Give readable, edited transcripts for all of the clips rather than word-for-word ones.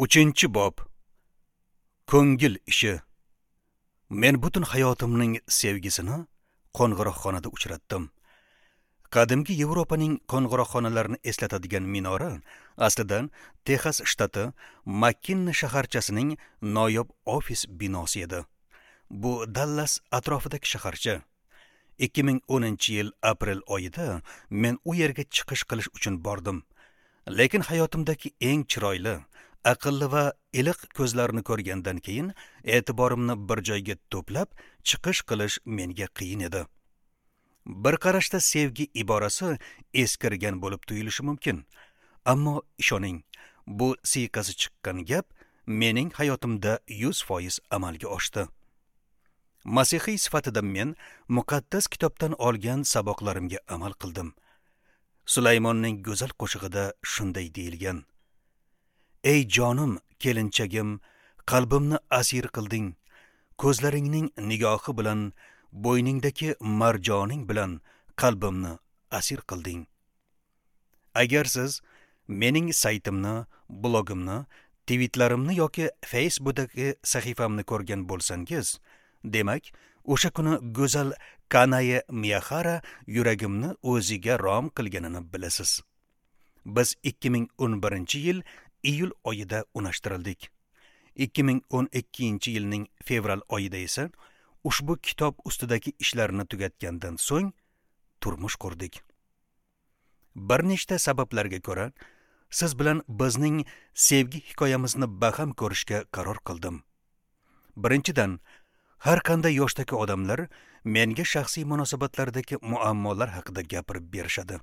3-bob. Ko'ngil ishi. Men butun hayotimning sevgisini qo'ng'iroqxonada uchratdim. Qadimgi Yevropaning qo'ng'iroqxonalarini eslatadigan minora aslida Texas shtati Makkinni shaharchasining noyob ofis binosi edi. Bu Dallas atrofidagi shaharcha. 2010-yil aprel oyida men u yerga chiqish qilish uchun bordim. Lekin hayotimdagi eng chiroyli, aqlli va iliq ko'zlarni ko'rgandan keyin e'tiborimni bir joyga to'plab chiqish qilish menga qiyin edi. Bir qarashda sevgi iborasi eskirgan bo'lib tuyulishi mumkin. Ammo ishoning, bu siyqasi chiqqan gap mening hayotimda 100% amalga oshdi. Masihiy sifatida men muqaddas kitobdan olgan saboqlarimga amal qildim. Sulaymonning go'zal qo'shig'ida shunday deyilgan: Ey jonim, kelinchagim, qalbimni asir qilding. Ko'zlaringning nigohi bilan, bo'yningdagi marjoning bilan qalbimni asir qilding. Agar siz mening saytimni, blogimni, tweetlarimni yoki Facebookdagi sahifamni ko'rgan bo'lsangiz, demak, o'sha kuni go'zal Kanaye Miyahara yuragimni o'ziga rom qilganini bilasiz. Biz 2011-yil iyul oyida unashtirildik. 2012-yilning fevral oyida esa ushbu kitob ustidagi ishlarni tugatgandan so'ng turmush qurdik. Bir nechta sabablarga ko'ra, siz bilan bizning sevgi hikoyamizni baham ko'rishga qaror qildim. Birinchidan, har qanday yoshdagi odamlar menga shaxsiy munosabatlardagi muammolar haqida gapirib berishadi.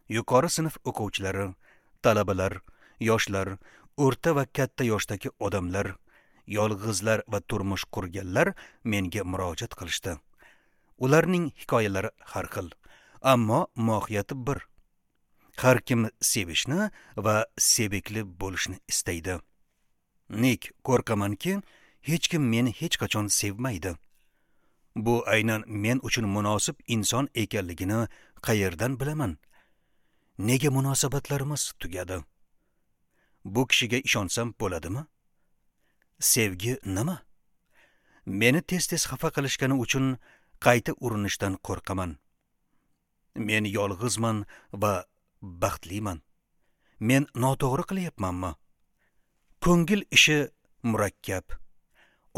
Yuqori sinf o'quvchilari, talabalar, yoshlar, o'rta va katta yoshdagi odamlar, yolg'izlar va turmush qurganlar menga murojaat qilishdi. Ularning hikoyalari har xil, ammo mohiyati bir. Har kim sevishni va sevikli bo'lishni istaydi. Nik, qo'rqamanki, hech kim meni hech qachon sevmaydi. Bu aynan men uchun munosib inson ekanligini qayerdan bilaman? Nega munosabatlarimiz tugadi? Bu kishiga ishonsam bo'ladimi? Sevgi nima? Meni tez-tez xafa qilishgani uchun qayta urinishdan qo'rqaman. Men yolg'izman va baxtliman. Men noto'g'ri qilyapmanmi? Ko'ngil ishi murakkab.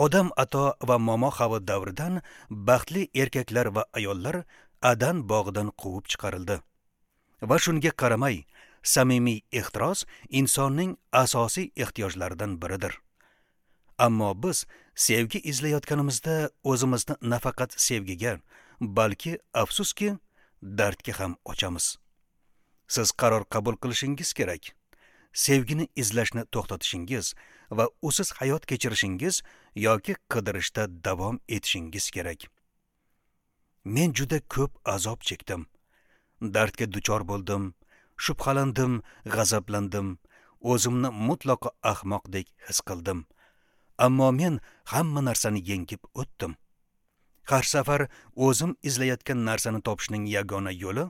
Odam ato va momo Havo davridan baxtli erkaklar va ayollar Adan bog'idan quvib chiqarildi. Va shunga qaramay, samimiy ehtiros insonning asosiy ehtiyojlaridan biridir. Ammo biz sevgi izlayotganimizda o'zimizni nafaqat sevgiga, balki afsuski dardga ham ochamiz. Siz qaror qabul qilishingiz kerak. Sevgini izlashni to'xtatishingiz va usiz hayot kechirishingiz yoki qidirishda davom etishingiz kerak. Men juda ko'p azob chekdim. Dardga duchor bo'ldim, shubhalandim, g'azablandim, o'zimni mutlaqo ahmoqdek his qildim. Ammo men hamma narsani yengib o'tdim. Har safar o'zim izlayotgan narsani topishning yagona yo'li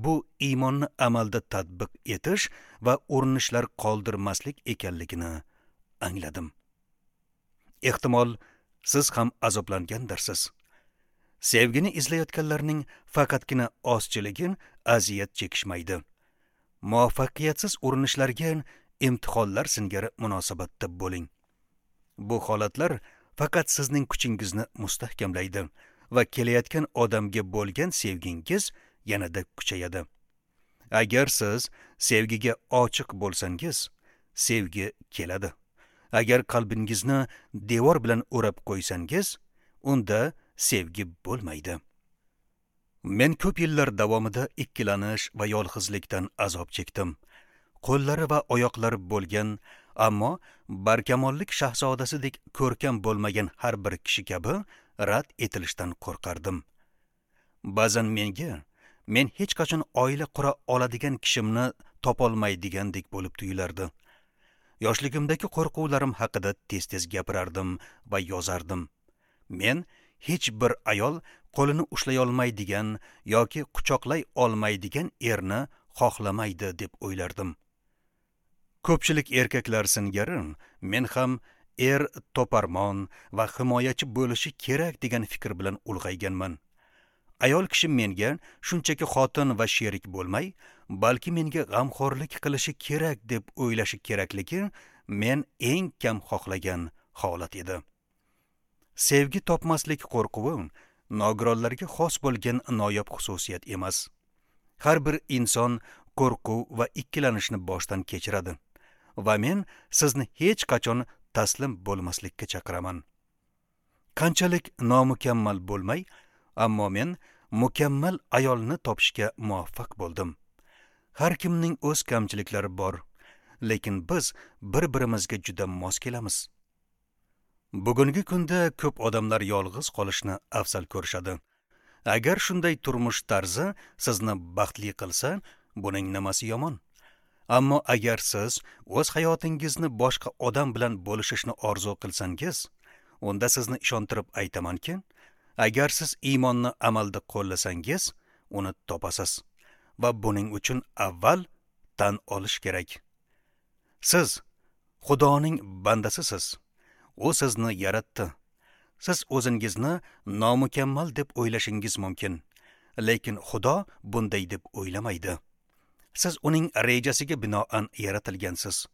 bu iymonni amalda tatbiq etish va urinishlar qoldirmaslik ekanligini angladim. Ehtimol siz ham azoblangandirsiz. Sevgini izlayotganlarning faqatgina ozchiligi aziyat chekishmaydi. Muvaffaqiyatsiz urinishlarga imtihonlar singari munosabatda bo'ling. Bu holatlar faqat sizning kuchingizni mustahkamlaydi va kelayotgan odamga bo'lgan sevgingiz yanada kuchayadi. Agar siz sevgiga ochiq bo'lsangiz, sevgi keladi. Agar qalbingizni devor bilan o'rab qo'ysangiz, unda sevgi bo'lmaydi. Men ko'p yillar davomida ikkilanish va yolg'izlikdan azob chekdim. Qo'llari va oyoqlari bo'lgan, ammo barkamollik shahzodasidek ko'rkam bo'lmagan har bir kishi kabi rad etilishdan qo'rqardim. Ba'zan menga men hech qachon oila qura oladigan kishimni topolmaydigandek bo'lib tuyulardi. Yoshligimdagi qo'rquvlarim haqida tez-tez gapirardim va yozardim. Men hech bir ayol qo'lini ushlay olmaydigan yoki quchoqlay olmaydigan erni xohlamaydi deb o'ylardim. Ko'pchilik erkaklar singari men ham er toparmon va himoyachi bo'lishi kerak degan fikr bilan ulg'ayganman. Ayol kishi menga shunchaki xotin va sherik bo'lmay, balki menga g'amxo'rlik qilishi kerak deb o'ylashi kerakligi men eng kam xohlagan holat edi. Sevgi topmaslik qo'rquvi nogironlarga xos bo'lgan noyob xususiyat emas. Har bir inson qo'rquv va ikkilanishni boshdan kechiradi va men sizni hech qachon taslim bo'lmaslikka chaqiraman. Qanchalik nomukammal bo'lmay, ammo men mukammal ayolni topishga muvaffaq bo'ldim. Har kimning o'z kamchiliklari bor, lekin biz bir-birimizga juda mos kelamiz. Bugungi kunda ko'p odamlar yolg'iz qolishni afzal ko'rishadi. Agar shunday turmush tarzi sizni baxtli qilsa, buning nimasi yomon? Ammo agar siz o'z hayotingizni boshqa odam bilan bo'lishishni orzu qilsangiz, unda sizni ishontirib aytamanki, agar siz iymonni amalda qo'llasangiz, uni topasiz va buning uchun avval tan olish kerak. Siz Xudoning bandasisiz. U sizni yaratdi. Siz o'zingizni nomukammal deb o'ylashingiz mumkin, lekin Xudo bunday deb o'ylamaydi. Siz uning rejasiga binoan yaratilgansiz.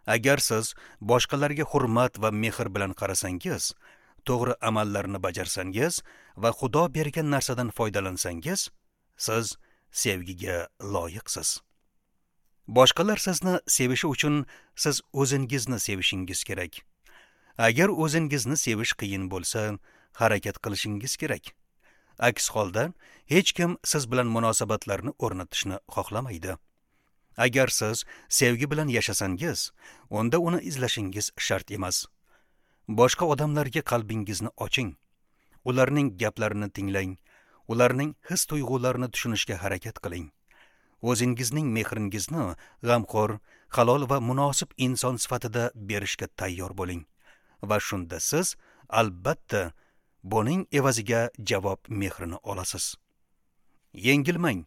Agar siz boshqalarga hurmat va mehr bilan qarasangiz, to'g'ri amallarni bajarsangiz va Xudo bergan narsadan foydalansangiz, siz sevgiga loyiqsiz. Boshqalar sizni sevishi uchun siz o'zingizni sevishingiz kerak. Agar o'zingizni sevish qiyin bo'lsa, harakat qilishingiz kerak. Aks holda hech kim siz bilan munosabatlarni o'rnatishni xohlamaydi. Agar siz sevgi bilan yashasangiz, unda uni izlashingiz shart emas. Boshqa odamlarga qalbingizni oching. Ularning gaplarini tinglang. Ularning his-tuyg'ularini tushunishga harakat qiling. O'zingizning mehringizni g'amxo'r, halol va munosib inson sifatida berishga tayyor bo'ling. Va shunda siz albatta buning evaziga javob mehrini olasiz. Yengilmang.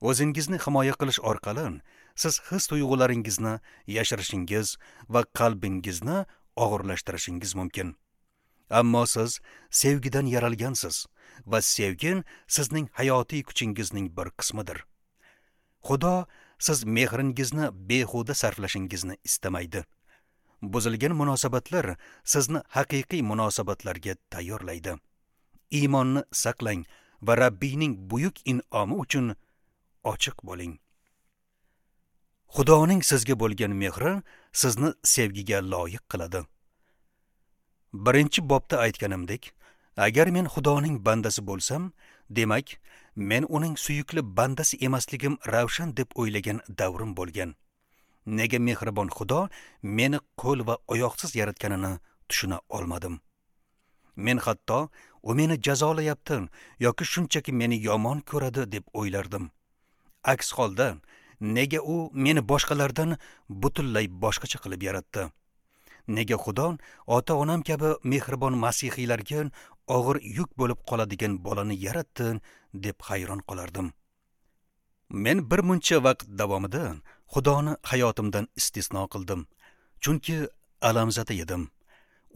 O'zingizni himoya qilish orqali siz his-tuyg'ularingizni yashirishingiz va qalbingizni og'irlashtirishingiz mumkin. Ammo siz sevgidan yaralgansiz va sevgi sizning hayotiy kuchingizning bir qismidir. Xudo siz mehringizni behuda sarflashingizni istamaydi. Buzilgan munosabatlar sizni haqiqiy munosabatlarga tayyorlaydi. Iymonni saqlang va Rabbiyning buyuk in'omi uchun ochiq bo'ling. Xudoning sizga bo'lgan mehri sizni sevgiga loyiq qiladi. Birinchi bobda aytganimdek, agar men Xudoning bandasi bo'lsam, demak, men uning suyukli bandasi emasligim ravshan deb o'ylagan davrim bo'lgan. Nega mehribon Xudo meni qo'l va oyoqsiz yaratganini tushuna olmadim. Men hatto u meni jazolayapti yoki shunchaki meni yomon ko'radi deb o'ylardim. Aks holda nega u meni boshqalardan butunlay boshqacha qilib yaratdi? Nega Xudo ota-onam kabi mehribon masihiylarga og'ir yuk bo'lib qoladigan bolani yaratdi deb hayron qolardim. Men bir muncha vaqt davomida Xudoni hayotimdan istisno qildim, chunki alamzada edim.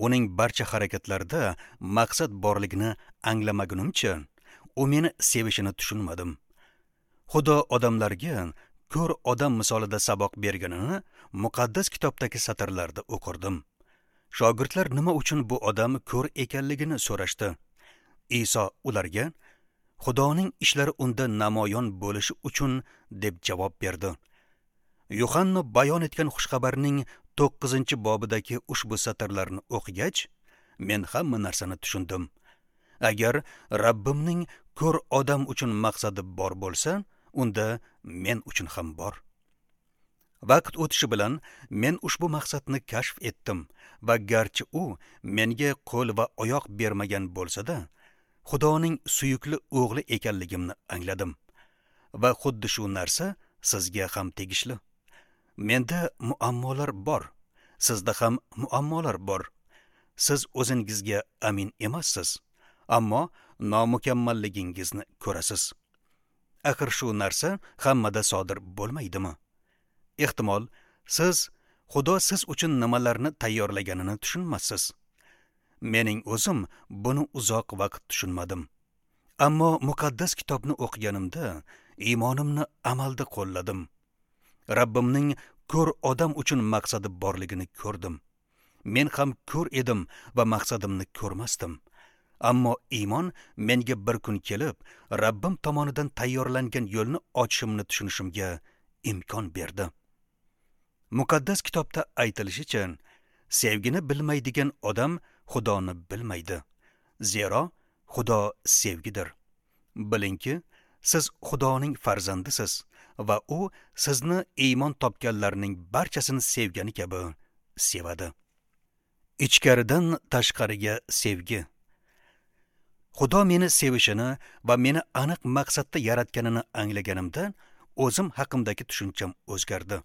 Uning barcha harakatlarida maqsad borligini anglamagunimcha, u meni sevishini tushunmadim. Xudo odamlarga ko'r odam misolida saboq berganini muqaddas kitobdagi satrlarda o'qirdim. Shogirdlar nima uchun bu odam ko'r ekanligini so'rashdi. Iso ularga Xudoning ishlari unda namoyon bo'lishi uchun deb javob berdi. Yuhanna bayon etgan xushxabarning 9-bobidagi ushbu satrlarni o'qigach, men hamma narsani tushundim. Agar Rabbimning ko'r odam uchun maqsadi bor bo'lsa, unda men uchun ham bor. Vaqt o'tishi bilan men ushbu maqsadni kashf etdim va garchi u menga qo'l va oyoq bermagan bo'lsa-da, Xudoning suyukli o'g'li ekanligimni angladim. Va xuddi shu narsa sizga ham tegishli. Menda muammolar bor, sizda ham muammolar bor. Siz o'zingizga amin emassiz, ammo nomukammalligingizni ko'rasiz. Axir shu narsa hammada sodir bo'lmaydimi? Ehtimol, siz Xudo siz uchun nimalarni tayyorlaganini tushunmassiz. Mening o'zim buni uzoq vaqt tushunmadim. Ammo muqaddas kitobni o'qiganimda iymonimni amalda qo'lladim. Rabbimning ko'r odam uchun maqsadi borligini ko'rdim. Men ham ko'r edim va maqsadimni ko'rmasdim. Ammo iymon menga bir kun kelib, Rabbim tomonidan tayyorlangan yo'lni ochishimni tushunishimga imkon berdi. Muqaddas kitobda aytilishicha, sevgini bilmaydigan odam Xudoni bilmaydi. Zero Xudo sevgidir. Bilingki, siz Xudoning farzandisiz va u sizni iymon topganlarning barchasini sevgani kabi sevadi. Ichkaridan tashqariga sevgi. Xudo meni sevishini va meni aniq maqsadda yaratganini anglaganimda, o'zim haqimdagi tushuncham o'zgardi.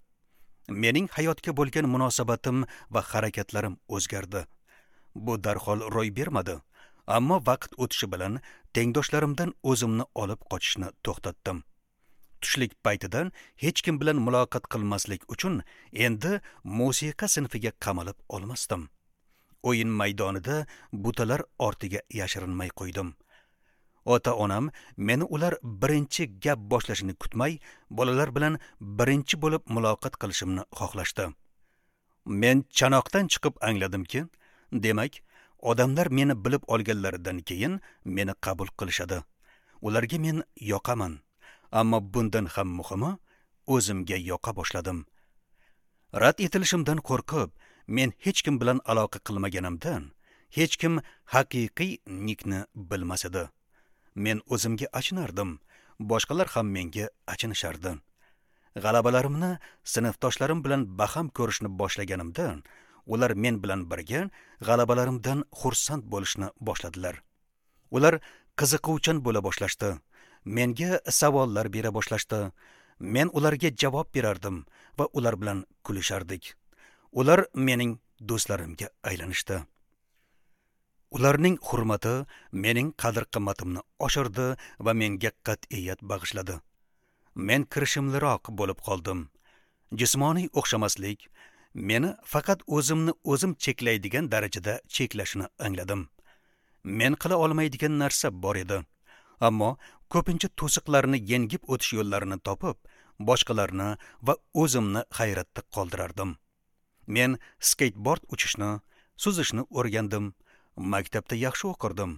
Mening hayotga bo'lgan munosabatim va harakatlarim o'zgardi. Bu darhol ro'y bermadi, ammo vaqt o'tishi bilan tengdoshlarimdan o'zimni olib qochishni to'xtatdim. Tushlik paytidan hech kim bilan muloqot qilmaslik uchun endi musiqa sinfiga qamalib olmasdim. O'yin maydonida butalar ortiga yashirinmay qo'ydim. Ota-onam meni ular birinchi gap boshlashini kutmay, bolalar bilan birinchi bo'lib muloqot qilishimni xohlashdi. Men chanoqdan chiqib angladimki, demak, odamlar meni bilib olganlaridan keyin meni qabul qilishadi. Ularga men yoqaman. Ammo bundan ham muhimi, o'zimga yoqa boshladim. Rad etilishimdan qo'rqib, men hech kim bilan aloqa qilmaganimdan, hech kim haqiqiy Nikni bilmas edi. Men o'zimga achinardim, boshqalar ham menga achinishardi. G'alabalarimni sinfdoshlarim bilan baham ko'rishni boshlaganimda, ular men bilan birga g'alabalarimdan xursand bo'lishni boshladilar. Ular qiziquvchan bo'la boshlashdi. Menga savollar bera boshlashdi. Men ularga javob berardim va ular bilan kulishardik. Ular mening do'stlarimga aylanishdi. Ularning hurmati mening qadr-qimmatimni oshirdi va menga qat'iyat bag'ishladi. Men kirishimliroq bo'lib qoldim. Jismoniy o'xshamaslik meni faqat o'zimni o'zim cheklaydigan darajada cheklashini angladim. Men qila olmaydigan narsa bor edi. Ammo ko'pincha to'siqlarni yengib o'tish yo'llarini topib, boshqalarni va o'zimni hayratda qoldirardim. Men skateboard uchishni, suzishni o'rgandim. Maktabda yaxshi o'qirdim,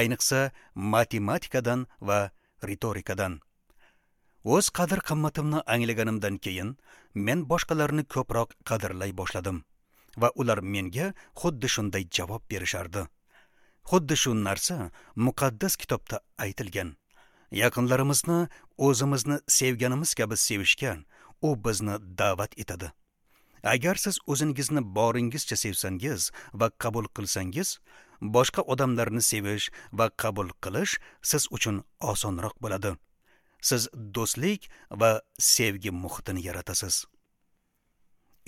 ayniqsa matematikadan va ritorikadan. O'z qadr-qimmatimni anglaganimdan keyin men boshqalarni ko'proq qadrlay boshladim va ular menga xuddi shunday javob berishardi. Xuddi shu narsa muqaddas kitobda aytilgan. Yaqinlarimizni o'zimizni sevganimiz kabi sevishga u bizni da'vat etadi. Agar siz o'zingizni boringizcha sevsangiz va qabul qilsangiz, boshqa odamlarni sevish va qabul qilish siz uchun osonroq bo'ladi. Siz do'stlik va sevgi muhitini yaratasiz.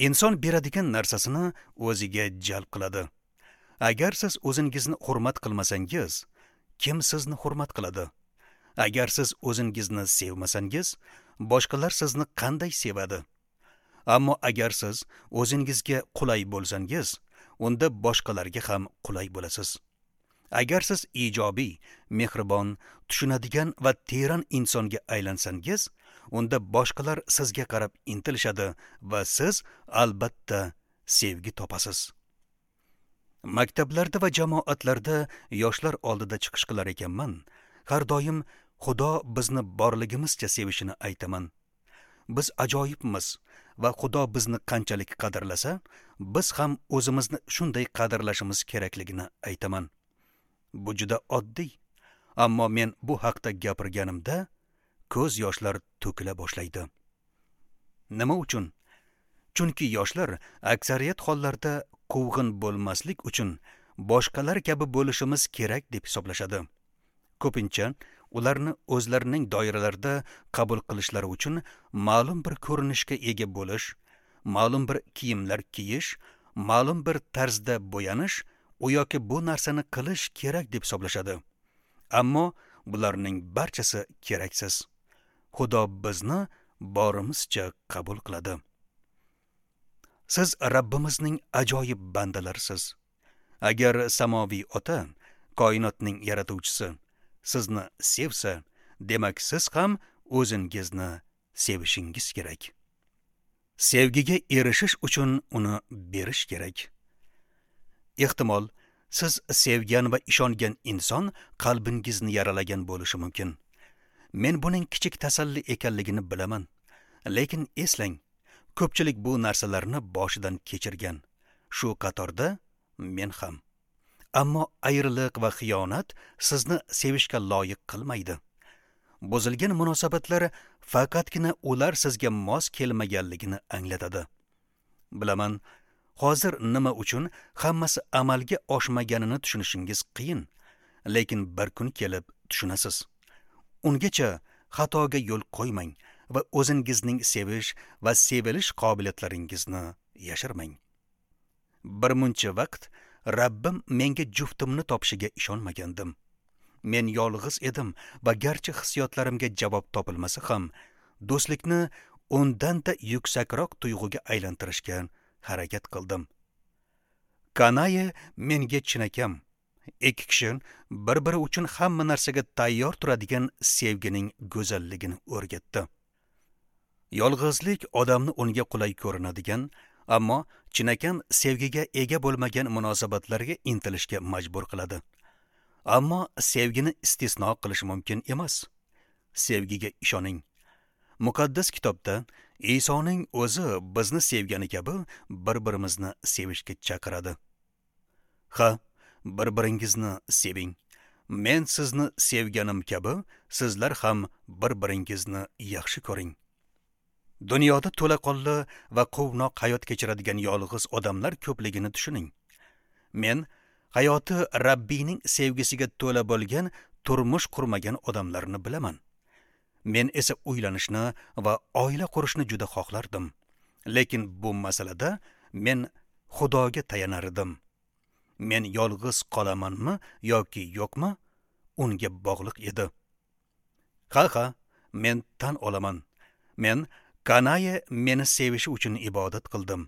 Inson beradigan narsasini o'ziga jalb qiladi. Agar siz o'zingizni hurmat qilmasangiz, kim sizni hurmat qiladi? Agar siz o'zingizni sevmasangiz, boshqalar sizni qanday sevadi? Ammo agar siz o'zingizga qulay bo'lsangiz, unda boshqalarga ham qulay bo'lasiz. Agar siz ijobiy, mehribon, tushunadigan va teran insonga aylansangiz, unda boshqalar sizga qarab intilishadi va siz albatta sevgi topasiz. Maktablarda va jamoatlarda yoshlar oldida chiqish qilar ekanman, har doim Xudo bizni borligimizcha sevishini aytaman. Biz ajoyibmiz va Xudo bizni qanchalik qadrlasa, biz ham o'zimizni shunday qadrlashimiz kerakligini aytaman. Bu juda oddiy, ammo men bu haqda gapirganimda ko'z yoshlar to'kila boshlaydi. Nima uchun? Chunki yoshlar aksariyat hollarda quvg'in bo'lmaslik uchun boshqalar kabi bo'lishimiz kerak deb hisoblashadi. Ko'pincha ularni o'zlarining doiralarida qabul qilishlari uchun ma'lum bir ko'rinishga ega bo'lish, ma'lum bir kiyimlar kiyish, ma'lum bir tarzda bo'yanish, u yoki bu narsani qilish kerak deb hisoblashadi. Ammo bularning barchasi keraksiz. Xudo bizni borimizcha qabul qiladi. Siz Rabbimizning ajoyib bandalarisiz. Agar samoviy ota, koinotning yaratuvchisi, sizni sevsa, demak siz ham o'zingizni sevishingiz kerak. Sevgiga erishish uchun uni berish kerak. Ehtimol, siz sevgan va ishongan inson qalbingizni yaralagan bo'lishi mumkin. Men buning kichik tasalli ekanligini bilaman. Lekin eslang, ko'pchilik bu narsalarni boshidan kechirgan. Shu qatorda men ham. Ammo ayriliq va xiyonat sizni sevishga loyiq qilmaydi. Buzilgan munosabatlar faqatgina ular sizga mos kelmaganligini anglatadi. Bilaman, hozir nima uchun hammasi amalga oshmaganini tushunishingiz qiyin, lekin bir kun kelib tushunasiz. Ungacha xatoga yo'l qo'ymang va o'zingizning sevish va sevilish qobiliyatlaringizni yashirmang. Bir muncha vaqt Rabbim menga juftimni topishiga ishonmagandim. Men yolg'iz edim va garchi hissiyotlarimga javob topilmasa ham, do'stlikni undan-da yuksakroq tuyg'uga aylantirishga harakat qildim. Kanaye menga chinakam, ikki kishi bir-biri uchun hamma narsaga tayyor turadigan sevgining go'zalligini o'rgatdi. Yolg'izlik odamni unga qulay ko'rinadigan, ammo chinakam sevgiga ega bo'lmagan munosabatlarga intilishga majbur qiladi. Ammo sevgini istisno qilish mumkin emas. Sevgiga ishoning. Muqaddas kitobda Isoning o'zi bizni sevgani kabi bir-birimizni sevishga chaqiradi. Ha, bir-biringizni seving. Men sizni sevganim kabi sizlar ham bir-biringizni yaxshi ko'ring. Dunyoda to'laqonli va quvnoq hayot kechiradigan yolg'iz odamlar ko'pligini tushuning. Men hayoti Rabbiyning sevgisiga to'la bo'lgan turmush qurmagan odamlarni bilaman. Men esa uylanishni va oila qurishni juda xohlardim. Lekin bu masalada men Xudoga tayanar edim. Men yolg'iz qolamanmi yoki yo'qmi, unga bog'liq edi. Ha, men tan olaman. Men Kanaye meni sevishi uchun ibodat qildim.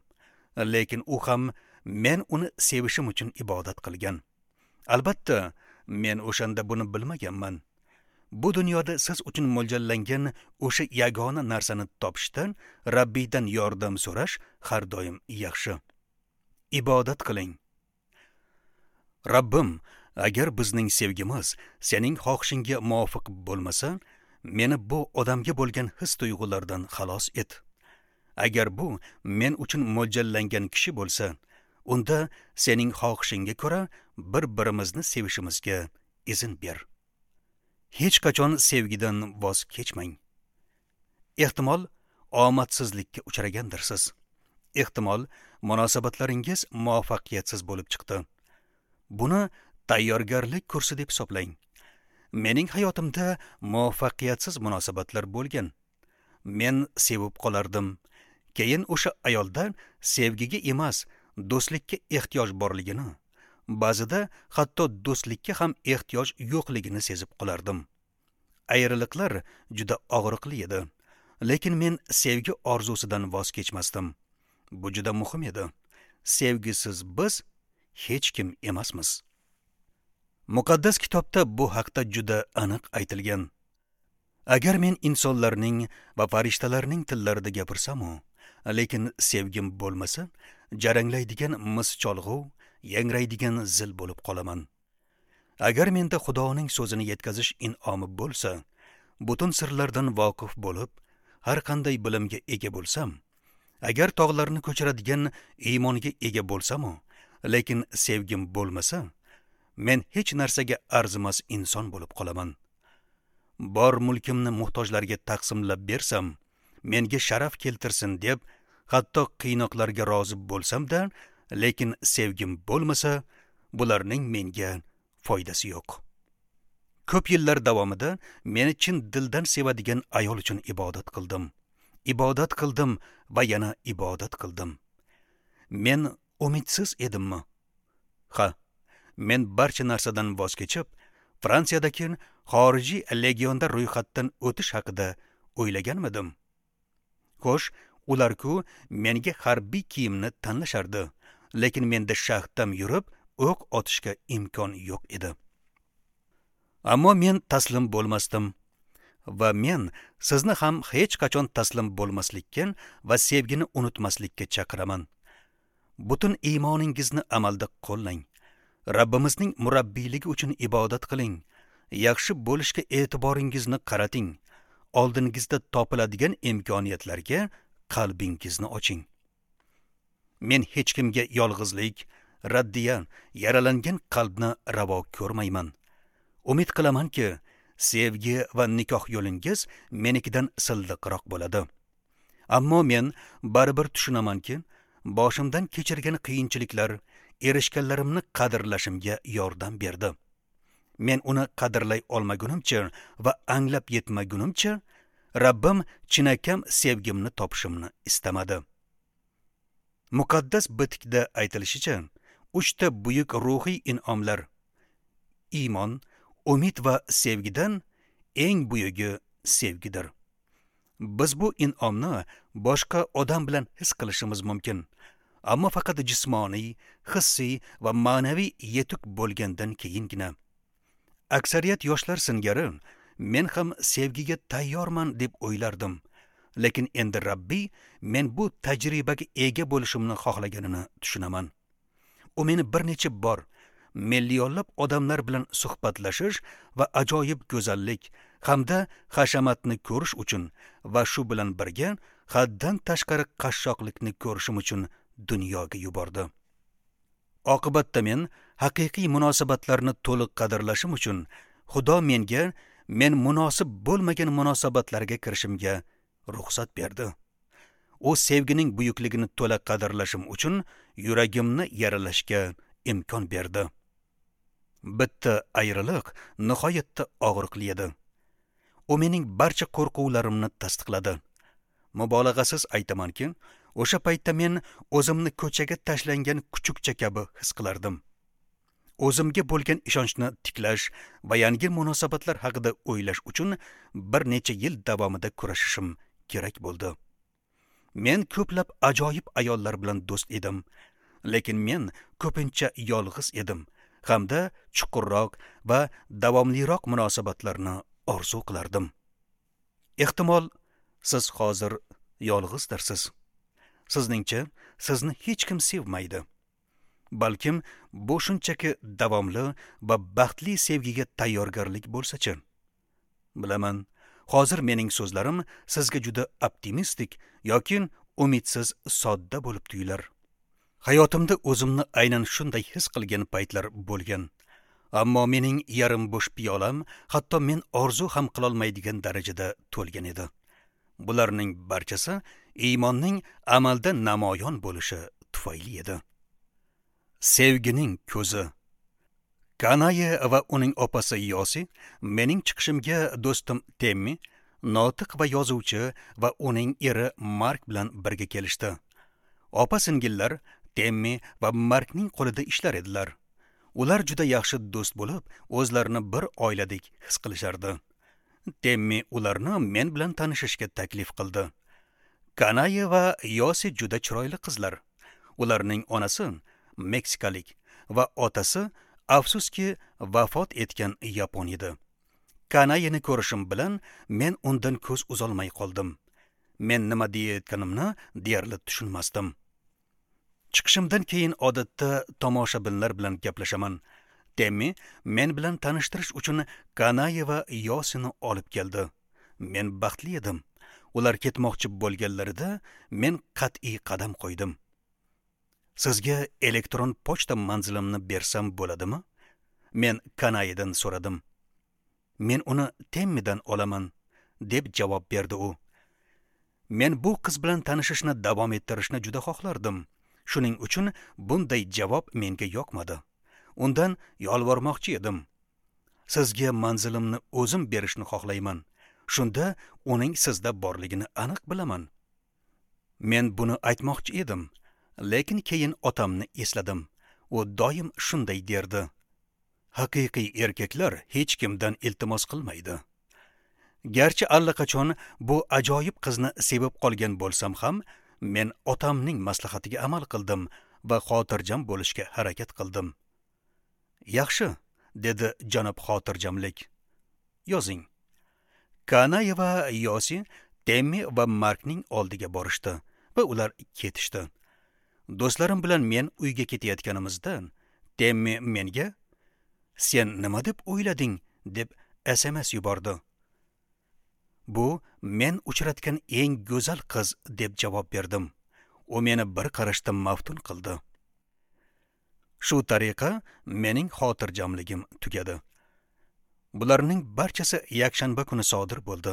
Lekin u ham men uni sevishim uchun ibodat qilgan. Albatta, men o'shanda buni bilmaganman. Bu dunyoda siz uchun mo'ljallangan o'sha yagona narsani topishdan Rabbiydan yordam so'rash har doim yaxshi. Ibodat qiling. Rabbim, agar bizning sevgimiz sening xohishingga muvofiq bo'lmasa, meni bu odamga bo'lgan his tuyg'ulardan xalos et. Agar bu men uchun mo'ljallangan kishi bo'lsa, unda sening xohishingga ko'ra bir-birimizni sevishimizga izn ber. Hech qachon sevgidan voz kechmang. Ehtimol omadsizlikka uchragandirsiz. Ehtimol munosabatlaringiz muvaffaqiyatsiz bo'lib chiqdi. Buni tayyorgarlik kursi deb hisoblang. Mening hayotimda muvaffaqiyatsiz munosabatlar bo'lgan. Men sevib qolardim. Keyin o'sha ayolda sevgiga emas, do'stlikka ehtiyoj borligini, ba'zida hatto do'stlikka ham ehtiyoj yo'qligini sezib qolardim. Ayriliqlar juda og'riqli edi, lekin men sevgi orzusidan voz kechmasdim. Bu juda muhim edi. Sevgisiz biz hech kim emasmiz. Muqaddas kitobda bu haqda juda aniq aytilgan. Agar men insonlarning va farishtalarning tillarida gapirsam-u, lekin sevgim bo'lmasa, jaranglaydigan mis cholg'u, yangraydigan zil bo'lib qolaman. Agar menda Xudoning so'zini yetkazish in'omi bo'lsa, butun sirlardan voqif bo'lib, har qanday bilimga ega bo'lsam, agar tog'larni ko'chiradigan iymonga ega bo'lsam-u, lekin sevgim bo'lmasa, men hech narsaga arzimas inson bo'lib qolaman. Bor mulkimni muhtojlarga taqsimlab bersam, menga sharaf keltirsin deb, hatto qiynoqlarga rozi bo'lsam-da, lekin sevgim bo'lmasa, bularning menga foydasi yo'q. Ko'p yillar davomida meni chin dildan sevadigan ayol uchun ibodat qildim. Ibodat qildim va yana ibodat qildim. Men umidsiz edimmi? Ha, men barcha narsadan voz kechib, Fransiyadagi xorijiy legionda ro'yxatdan o'tish haqida o'ylaganmidim? Xo'sh, Ular-ku menga harbiy kiyimni tanlashardi, lekin menda shaxtam yurib o'q otishga imkon yo'q edi. Ammo men taslim bo'lmasdim va men sizni ham hech qachon taslim bo'lmaslikka va sevgini unutmaslikka chaqiraman. Butun iymoningizni amalda qo'llang. Rabbimizning murabbiyligi uchun ibodat qiling. Yaxshi bo'lishga e'tiboringizni qarating. Oldingizda topiladigan imkoniyatlarga qalbingizni oching. Men hech kimga yolg'izlik, raddiya, yaralangan qalbni ravo ko'rmayman. Umid qilamanki, sevgi va nikoh yo'lingiz menikidan silliqroq bo'ladi. Ammo men baribir tushunamanki, boshimdan kechirgan qiyinchiliklar erishganlarimni qadrlashimga yordam berdi. Men uni qadrlay olmagunimcha va anglab yetmagunimcha Rabbim chinakam sevgimni topishimni istamadi. Muqaddas bitikda aytilishicha, 3 ta buyuk ruhiy in'omlar iymon, umid va sevgidan eng buyugi sevgidir. Biz bu in'omni boshqa odam bilan his qilishimiz mumkin, ammo faqat jismoniy, hissiy va ma'naviy yetuk bo'lgandan keyingina. Aksariyat yoshlar singari men ham sevgiga tayyorman deb o'ylardim. Lekin endi Rabbiy men bu tajribaga ega bo'lishimni xohlaganini tushunaman. U meni bir necha bor millionlab odamlar bilan suhbatlashish va ajoyib go'zallik hamda hashamatni ko'rish uchun va shu bilan birga haddan tashqari qashshoqlikni ko'rishim uchun dunyoga yubordi. Oqibatda men haqiqiy munosabatlarni to'liq qadrlashim uchun Xudo menga men munosib bo'lmagan munosabatlarga kirishimga ruxsat berdi. U sevgining buyukligini to'la qadrlashim uchun yuragimni yaralashga imkon berdi. Bitta ayriliq nihoyatda og'riqli edi. U mening barcha qo'rquvlarimni tasdiqladi. Mubolag'asiz aytamanki, o'sha paytda men o'zimni ko'chaga tashlangan kuchukcha kabi his qilardim. O'zimga bo'lgan ishonchni tiklash va yangi munosabatlar haqida o'ylash uchun bir necha yil davomida kurashishim kerak bo'ldi. Men ko'plab ajoyib ayollar bilan do'st edim, lekin men ko'pincha yolg'iz edim hamda chuqurroq va davomliroq munosabatlarni orzu qilardim. Ehtimol siz hozir yolg'izdirsiz. Sizningcha sizni hech kim sevmaydi. Balkim bu shunchaki davomli va baxtli sevgiga tayyorgarlik bo'lsa-chi? Bilaman, hozir mening so'zlarim sizga juda optimistik yoki umidsiz sodda bo'lib tuyular. Hayotimda o'zimni aynan shunday his qilgan paytlar bo'lgan. Ammo mening yarim bo'sh piyolam hatto men orzu ham qilolmaydigan darajada to'lgan edi. Bularning barchasi iymonning amalda namoyon bo'lishi tufayli edi. Sevgining ko'zi. Kanaye va uning opasi Yosi mening chiqishimga do'stim Temmi, notiq va yozuvchi va uning eri Mark bilan birga kelishdi. Opa-singillar Temmi va Markning qo'lida ishlar edilar. Ular juda yaxshi do'st bo'lib, o'zlarini bir oiladek his qilishardi. Temmi ularni men bilan tanishishga taklif qildi. Kanaye va Yosi juda chiroyli qizlar. Ularning onasi meksikalik va otasi afsuski vafot etgan yapon edi. Kanayeni ko'rishim bilan men undan ko'z uzolmay qoldim. Men nima deyayotganimni deyarli tushunmasdim. Chiqishimdan keyin odatda tomoshabinlar bilan gaplashaman. Temmi men bilan tanishtirish uchun Kanaye va Yosini olib keldi. Men baxtli edim. Ular ketmoqchi bo'lganlarida men qat'iy qadam qo'ydim. Sizga elektron pochta manzilimni bersam bo'ladimi? Men Kanayedan so'radim. Men uni Temmidan olaman, deb javob berdi u. Men bu qiz bilan tanishishni davom ettirishni juda xohlardim. Shuning uchun bunday javob menga yoqmadi. Undan yolvormoqchi edim. Sizga manzilimni o'zim berishni xohlayman. Shunda uning sizda borligini aniq bilaman. Men buni aytmoqchi edim, lekin keyin otamni esladim. U doim shunday derdi: haqiqiy erkaklar hech kimdan iltimos qilmaydi. Garchi allaqachon bu ajoyib qizni sevib qolgan bo'lsam ham, men otamning maslahatiga amal qildim va xotirjam bo'lishga harakat qildim. Yaxshi, dedi janob xotirjamlik. Yozing. Kanaya va Yosi Temmi va Markning oldiga borishdi va ular ketishdi. Do'stlarim bilan men uyga ketayotganimizda Temmi menga "Sen nima deb o'ylading?" deb SMS yubordi. Bu men uchratgan eng go'zal qiz deb javob berdim. U meni bir qarashda maftun qildi. Shu tariqa mening xotirjamligim tugadi. Bularning barchasi yakshanba kuni sodir bo'ldi.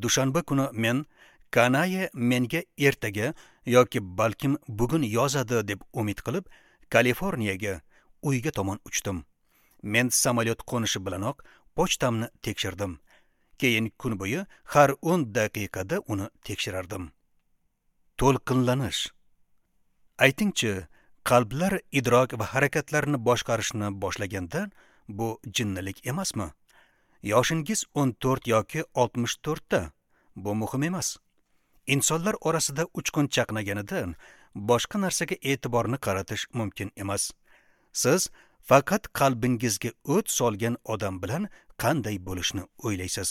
Dushanba kuni men Kanaye menga ertaga yoki balkim bugun yozadi deb umid qilib, Kaliforniyaga uyga tomon uchdim. Men samolyot qo'nishi bilanoq pochtamni tekshirdim. Keyin kun bo'yi har 10 daqiqada uni tekshirardim. To'lqinlanish. Aytingchi, qalblar idrok va harakatlarni boshqarishni boshlaganda bu jinnilik emasmi? Yoshingiz 14 yoki 64 da, bu muhim emas. Insonlar orasida uchqun chaqnaganida boshqa narsaga e'tiborni qaratish mumkin emas. Siz faqat qalbingizga o't solgan odam bilan qanday bo'lishni o'ylaysiz.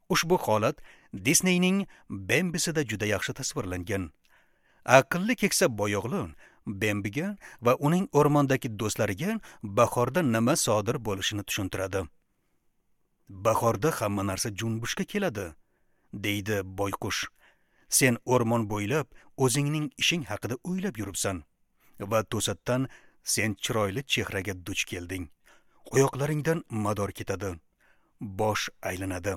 Ushbu holat Disneyning Bembisida juda yaxshi tasvirlangan. Aqlli keksa boyo'g'li Bembiga va uning o'rmondagi do'stlariga bahorda nima sodir bo'lishini tushuntiradi. Bahorda hamma narsa junbushga keladi, deydi boyqush. Sen o'rmon bo'ylab o'zingning ishing haqida o'ylab yuribsan va to'satdan sen chiroyli chehraga duch kelding. Oyoqlaringdan mador ketadi, bosh aylanadi.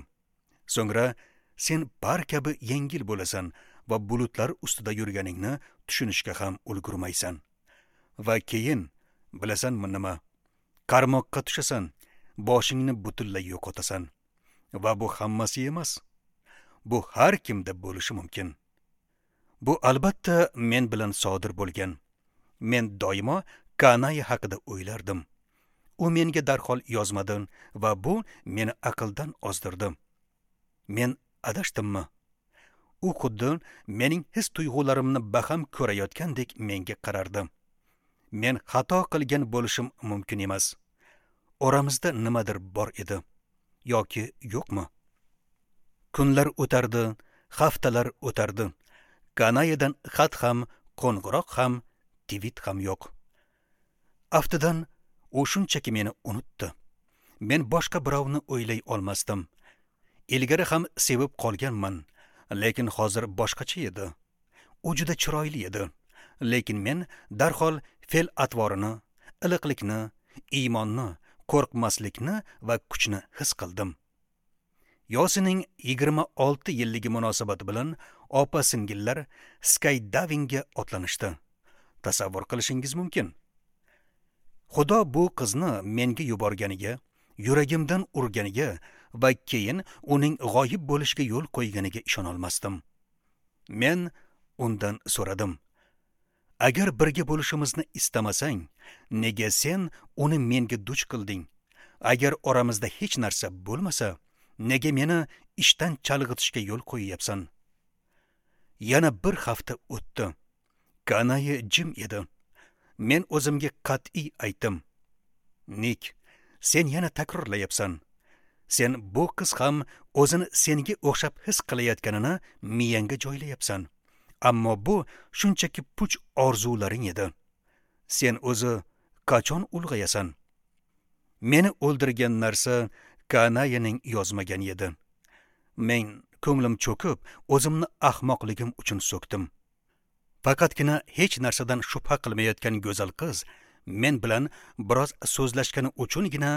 So'ngra sen par kabi yengil bo'lasan va bulutlar ustida yurganingni tushunishga ham ulgurmaysan. Va keyin, bilasanmi nima? Qarmoqqa tushasan, boshingni butunlay yo'qotasan. Va bu hammasi emas. Bu har kimda bo'lishi mumkin. Bu albatta men bilan sodir bo'lgan. Men doimo Kanaya haqida o'ylardim. U menga darhol yozmadi va bu meni aqldan ozdirdi. Men adashdimmi? U xuddi mening his tuyg'ularimni baham ko'rayotgandek menga qarardi. Men xato qilgan bo'lishim mumkin emas. Oramizda nimadir bor edi yoki yo'qmi? Kunlar o'tardi, haftalar o'tardi. Kanayadan xat ham, qo'ng'iroq ham, tweet ham yo'q. Aftidan u shunchaki meni unutdi. Men boshqa birovni o'ylay olmasdim. Ilgari ham sevib qolganman, lekin hozir boshqacha edi. U juda chiroyli edi, lekin men darhol fe'l-atvorini, iliqlikni, iymonni, qo'rqmaslikni va kuchni his qildim. Yosining 26 yilligi munosabati bilan opa-singillar skydivingga otlanishdi. Tasavvur qilishingiz mumkin. Xudo bu qizni menga yuborganiga, yuragimdan urganiga va keyin uning g'oyib bo'lishiga yo'l qo'yganiga ishona olmasdim. Men undan so'radim: "Agar birga bo'lishimizni istamasang, nega sen uni menga duch qilding? Agar oramizda hech narsa bo'lmasa, nega meni ishdan chalg'itishga yo'l qo'yyapsan?" Yana bir hafta o'tdi. Kanaye jim edi. Men o'zimga qat'iy aytdim: "Nik, sen yana takrorlayapsan. Sen bu qiz ham o'zini senga o'xshab his qilayotganini miyangga joylayapsan. Ammo bu shunchaki puch orzularing edi. Sen o'zi qachon ulg'ayasan?" Meni o'ldirgan narsa Kanayaning yozmagan edi. Men ko'nglim cho'kib, o'zimni ahmoqligim uchun so'kdim. Faqatgina hech narsadan shubha qilmayotgan go'zal qiz men bilan biroz so'zlashgani uchungina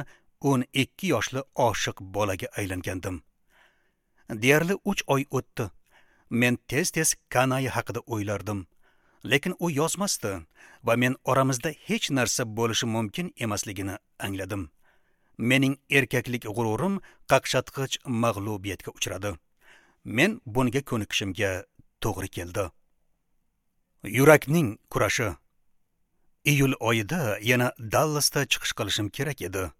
12 yoshli oshiq bolaga aylangandim. Deyarli 3 oy o'tdi. Men tez-tez Kanaya haqida o'ylardim, lekin u yozmasdi va men oramizda hech narsa bo'lishi mumkin emasligini angladim. Mening erkaklik g'ururim qaqshatqich mag'lubiyatga uchradi. Men bunga ko'nikishimga to'g'ri keldi. Yurakning kurashi. Iyul oyida yana Dallasda chiqish qilishim kerak edi.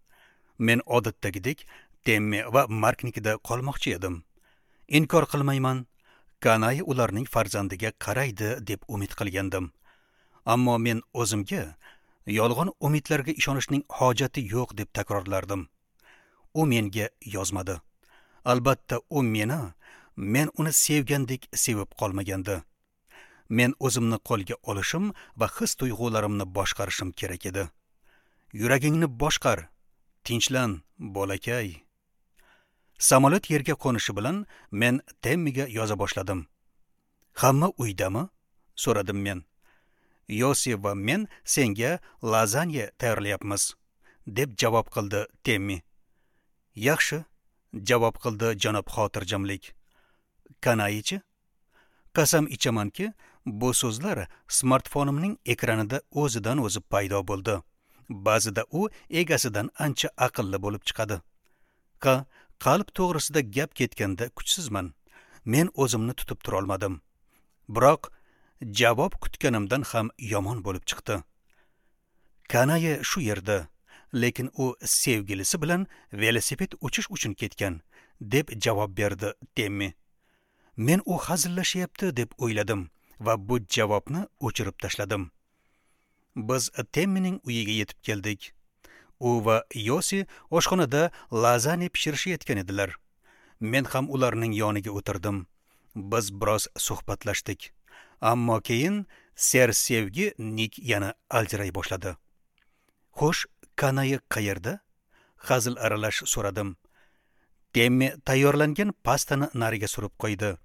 Men odatdagidek Temmi va Marknikida qolmoqchi edim. Inkor qilmayman, Kanai ularning farzandiga qaraydi deb umid qilgandim. Ammo men o'zimga yolg'on umidlarga ishonishning hojati yo'q deb takrorlardim. U menga yozmadi. Albatta, u meni, men uni sevgandek sevib qolmagandi. Men o'zimni qo'lga olishim va his tuyg'ularimni boshqarishim kerak edi. Yuragingni boshqar, tinchlan, bolakay. Samolyot yerga qo'nishi bilan men Temmiga yoza boshladim. Hamma uydami? So'radim men. Yosi va men senga lazanya tayyorlayapmiz, deb javob qildi Temmi. Yaxshi, javob qildi janob xotirjamlik. Kanaichi? Qasam ichamanki, bu so'zlar smartfonimning ekranida o'zidan o'zi paydo bo'ldi. Ba'zida u egasidan ancha aqlli bo'lib chiqadi. Ha, qalb to'g'risida gap ketganda kuchsizman. Men o'zimni tutib tura olmadim. Biroq javob kutganimdan ham yomon bo'lib chiqdi. Kanai shu yerda, lekin u sevgilisi bilan velosiped uchish uchun ketgan, deb javob berdi Temmi. Men u hazillashyapti deb o'yladim va bu javobni o'chirib tashladim. Biz Temmining uyiga yetib keldik. U va Yosi oshxonada lazanya pishirishayotgan edilar. Men ham ularning yoniga o'tirdim. Biz biroz suhbatlashdik. Ammo keyin sersevgi Nik yana aljiray boshladi. Xo'sh, Kanai qayerda? Hazil aralash so'radim. Temmi tayyorlangan pastani nariga surib qo'ydi.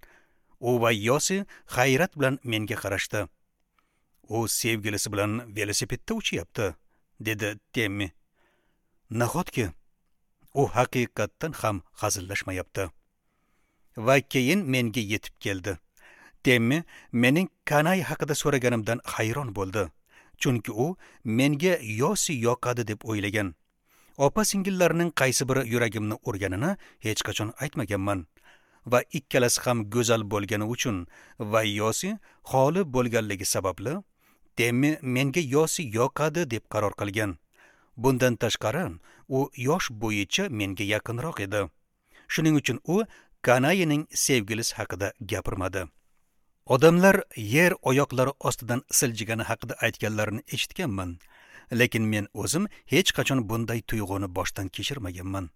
U va Yosi hayrat bilan menga qarashdi. U sevgilisi bilan velosipedda uchyapti, dedi Temmi. Nahotki u haqiqatdan ham hazillashmayapti. Va keyin menga yetib keldi. Temmi mening Kanai haqida so'raganimdan hayron bo'ldi. Chunki u menga Yosi yoqadi deb o'ylagan. Opa-singillarining qaysi biri yuragimni urganini hech qachon aytmaganman. Va ikkalasi ham go'zal bo'lgani uchun va Yosi xoli bo'lganligi sababli Temmi menga Yosi yoqadi deb qaror qilgan. Bundan tashqari, u yosh bo'yicha menga yaqinroq edi. Shuning uchun u Kanaining sevgilisi haqida gapirmadi. Odamlar yer oyoqlari ostidan siljigani haqida aytganlarini eshitganman, lekin men o'zim hech qachon bunday tuyg'uni boshdan kechirmaganman.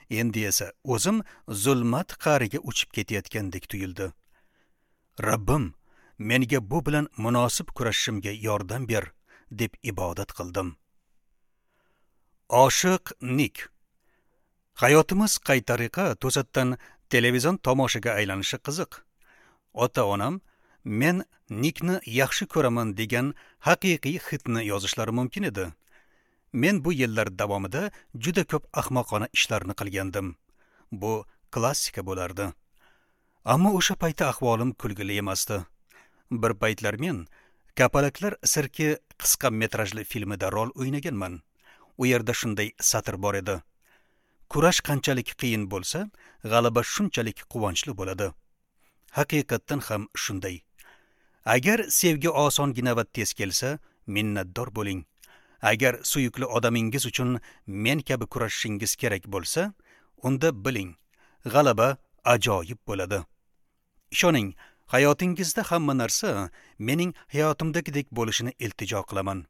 Endi esa o'zim zulmat qa'riga uchib ketayotgandek tuyuldi. Rabbim, menga bu bilan munosib kurashishimga yordam ber, deb ibodat qildim. Oshiq Nik. Hayotimiz qay tariqa to'satdan televizion tomoshaga aylanishi qiziq. Ota-onam men Nikni yaxshi ko'raman degan haqiqiy hitni yozishlari mumkin edi. Men bu yillar davomida juda ko'p ahmoqona ishlarni qilgandim. Bu klassika bo'lardi. Ammo o'sha paytda ahvolim kulgili emasdi. Bir paytlar men Kapalaklar sirki qisqa metrajli filmida rol o'ynaganman. U yerda shunday satr bor edi. Kurash qanchalik qiyin bo'lsa, g'alaba shunchalik quvonchli bo'ladi. Haqiqatdan ham shunday. Agar sevgi osongina va tez kelsa, minnatdor bo'ling. Agar suyukli odamingiz uchun men kabi kurashishingiz kerak bo'lsa, unda biling, g'alaba ajoyib bo'ladi. Ishoning, hayotingizda hamma narsa mening hayotimdagidek bo'lishini iltijo qilaman.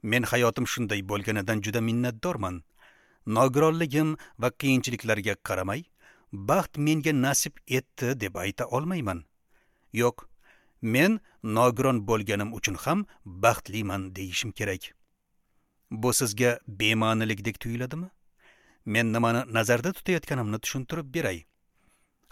Men hayotim shunday bo'lganidan juda minnatdorman. Nogironligim va qiyinchiliklarga qaramay, baxt menga nasib etdi deb ayta olmayman. Yo'q, men nogiron bo'lganim uchun ham baxtliman deyishim kerak. Bu sizga bema'nilikdek tuyuladimi? Men nimani nazarda tutayotganimni tushuntirib beray.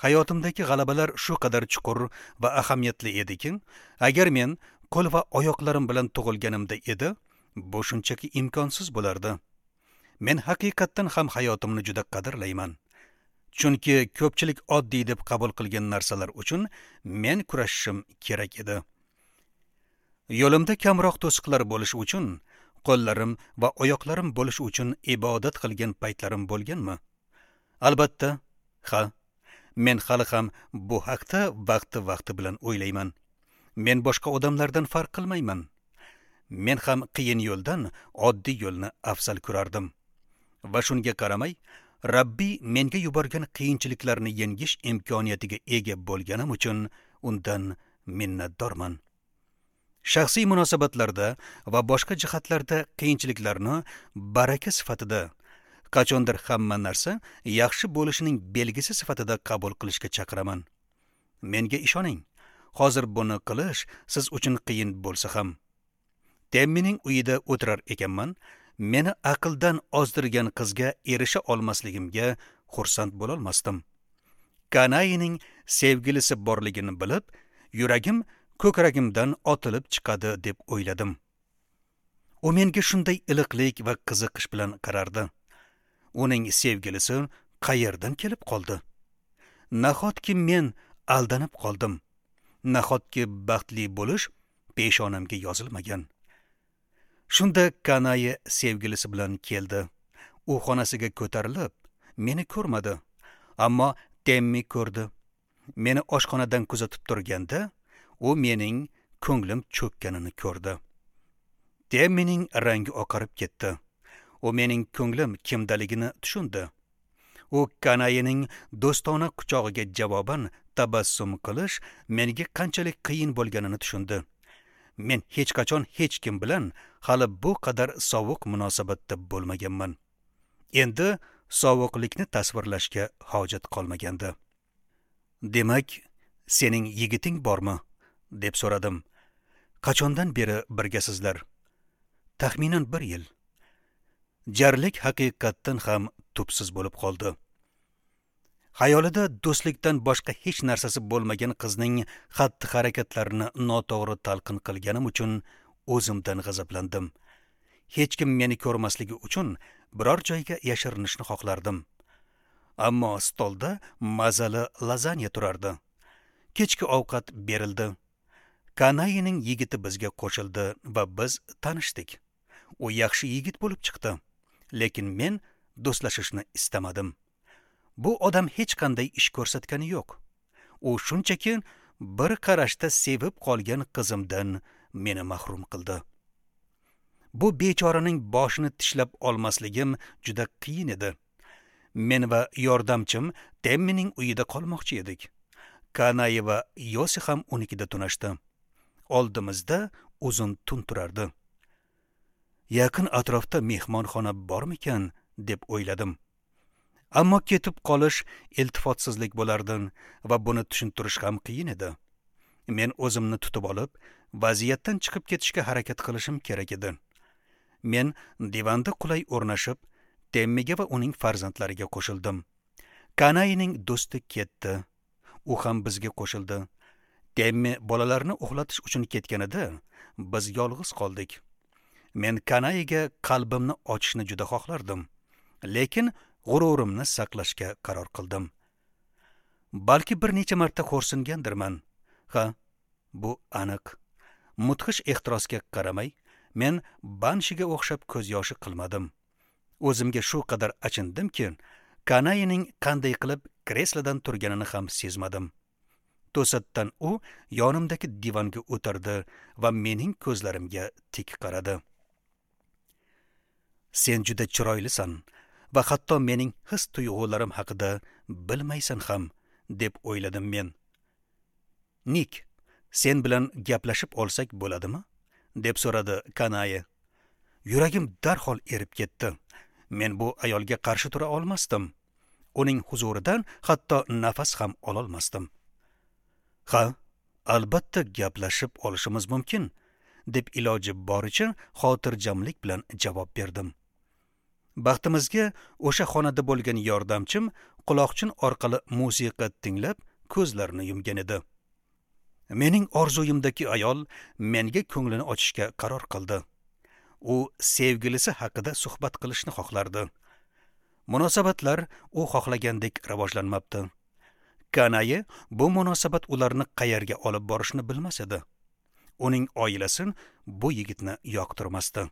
Hayotimdagi g'alabalar shu qadar chuqur va ahamiyatli ediki, agar men qo'l va oyoqlarim bilan tug'ilganimda edi, bu shunchaki imkonsiz bo'lardi. Men haqiqatdan ham hayotimni juda qadrlayman. Chunki ko'pchilik oddiy deb qabul qilgan narsalar uchun men kurashishim kerak edi. Yo'limda kamroq to'siqlar bo'lishi uchun, qo'llarim va oyoqlarim bo'lishi uchun ibodat qilgan paytlarim bo'lganmi? Albatta, ha. Men hali ham bu haqda vaqti-vaqti bilan o'ylayman. Men boshqa odamlardan farq qilmayman. Men ham qiyin yo'ldan oddiy yo'lni afzal ko'rardim. Va shunga qaramay, Rabbiy menga yuborgan qiyinchiliklarni yengish imkoniyatiga ega bo'lganim uchun undan minnatdorman. Shaxsiy munosabatlarda va boshqa jihatlarda qiyinchiliklarni baraka sifatida, qachondir hamma narsa yaxshi bo'lishining belgisi sifatida qabul qilishga chaqiraman. Menga ishoning, hozir buni qilish siz uchun qiyin bo'lsa ham. Temmining uyida o'tirar ekanman, meni aqldan ozdirgan qizga erisha olmasligimga xursand bo'lolmasdim. Kanayining sevgilisi borligini bilib, yuragim ko'kragimdan otilib chiqadi deb o'yladim. U menga shunday iliqlik va qiziqish bilan qarardi. Uning sevgilisi qayerdan kelib qoldi? Nahotki men aldanib qoldim? Nahotki baxtli bo'lish peshonamga yozilmagan? Shunda Kanayi sevgilisi bilan keldi. U xonasiga ko'tarilib, meni ko'rmadi, ammo Temmi ko'rdi. Meni oshxonadan kuzatib turganda, u mening ko'nglim cho'kkanini ko'rdi. Temmining rangi oqarib ketdi. U mening ko'nglim kimdaligini tushundi. U Kanayining do'stona quchog'iga javoban tabassum qilish menga qanchalik qiyin bo'lganini tushundi. Men hech qachon hech kim bilan hali bu qadar sovuq munosabatda bo'lmaganman. Endi sovuqlikni tasvirlashga hojat qolmagandi. Demak, sening yigiting bormi? Deb so'radim. Qachondan beri birgasizlar? Taxminan 1 yil. Jarlik haqiqatdan ham tubsiz bo'lib qoldi. Xayolida do'stlikdan boshqa hech narsasi bo'lmagan qizning xatti-harakatlarini noto'g'ri talqin qilganim uchun o'zimdan g'azablandim. Hech kim meni ko'rmasligi uchun biror joyga yashirinishni xohlardim. Ammo stolda mazali lazanya turardi. Kechki ovqat berildi. Kanayining yigiti bizga qo'shildi va biz tanishdik. U yaxshi yigit bo'lib chiqdi, lekin men do'stlashishni istamadim. Bu odam hech qanday ish ko'rsatgani yo'q. U shunchaki bir qarashda sevib qolgan qizimdan meni mahrum qildi. Bu bechoraning boshini tishlab olmasligim juda qiyin edi. Men va yordamchim Temmining uyida qolmoqchi edik. Kanayi va Yosi ham unikida tunashdi. Oldimizda uzun tun turardi. Yaqin atrofda mehmonxona bormikan deb o'yladim. Ammo ketib qolish iltifotsizlik bo'lardi va buni tushuntirish ham qiyin edi. Men o'zimni tutib olib, vaziyatdan chiqib ketishga harakat qilishim kerak edi. Men divanda qulay o'rnashib, Temmiga va uning farzandlariga qo'shildim. Kanayining do'sti ketdi. U ham bizga qo'shildi. Temmi bolalarni uxlatish uchun ketganida biz yolg'iz qoldik. Men Kanayiga qalbimni ochishni juda xohlardim, lekin g'ururimni saqlashga qaror qildim. Balki bir necha marta xo'rsingandirman. Ha, bu aniq. Mudhish ehtirosga qaramay, men Banshiga o'xshab ko'z yoshi qilmadim. O'zimga shu qadar achindimki, Kanayining qanday qilib kreslodan turganini ham sezmadim. To'satdan u yonimdagi divanga o'tirdi va mening ko'zlarimga tik qaradi. Sen juda chiroylisan va hatto mening his tuyg'ularim haqida bilmaysan ham, deb o'yladim men. Nik, sen bilan gaplashib olsak bo'ladimi? Deb so'radi Kanayi. Yuragim darhol erib ketdi. Men bu ayolga qarshi tura olmasdim. Uning huzuridan hatto nafas ham ololmasdim. Ha, albatta gaplashib olishimiz mumkin, deb iloji boricha xotirjamlik bilan javob berdim. Baxtimizga o'sha xonada bo'lgan yordamchim quloqchin orqali musiqa tinglab ko'zlarini yumgan edi. Mening orzuyimdagi ayol menga ko'nglini ochishga qaror qildi. U sevgilisi haqida suhbat qilishni xohlardi. Munosabatlar u xohlagandek rivojlanmabdi. Kanayi bu munosabat ularni qayerga olib borishini bilmas edi. Uning oilasi bu yigitni yoqtirmasdi.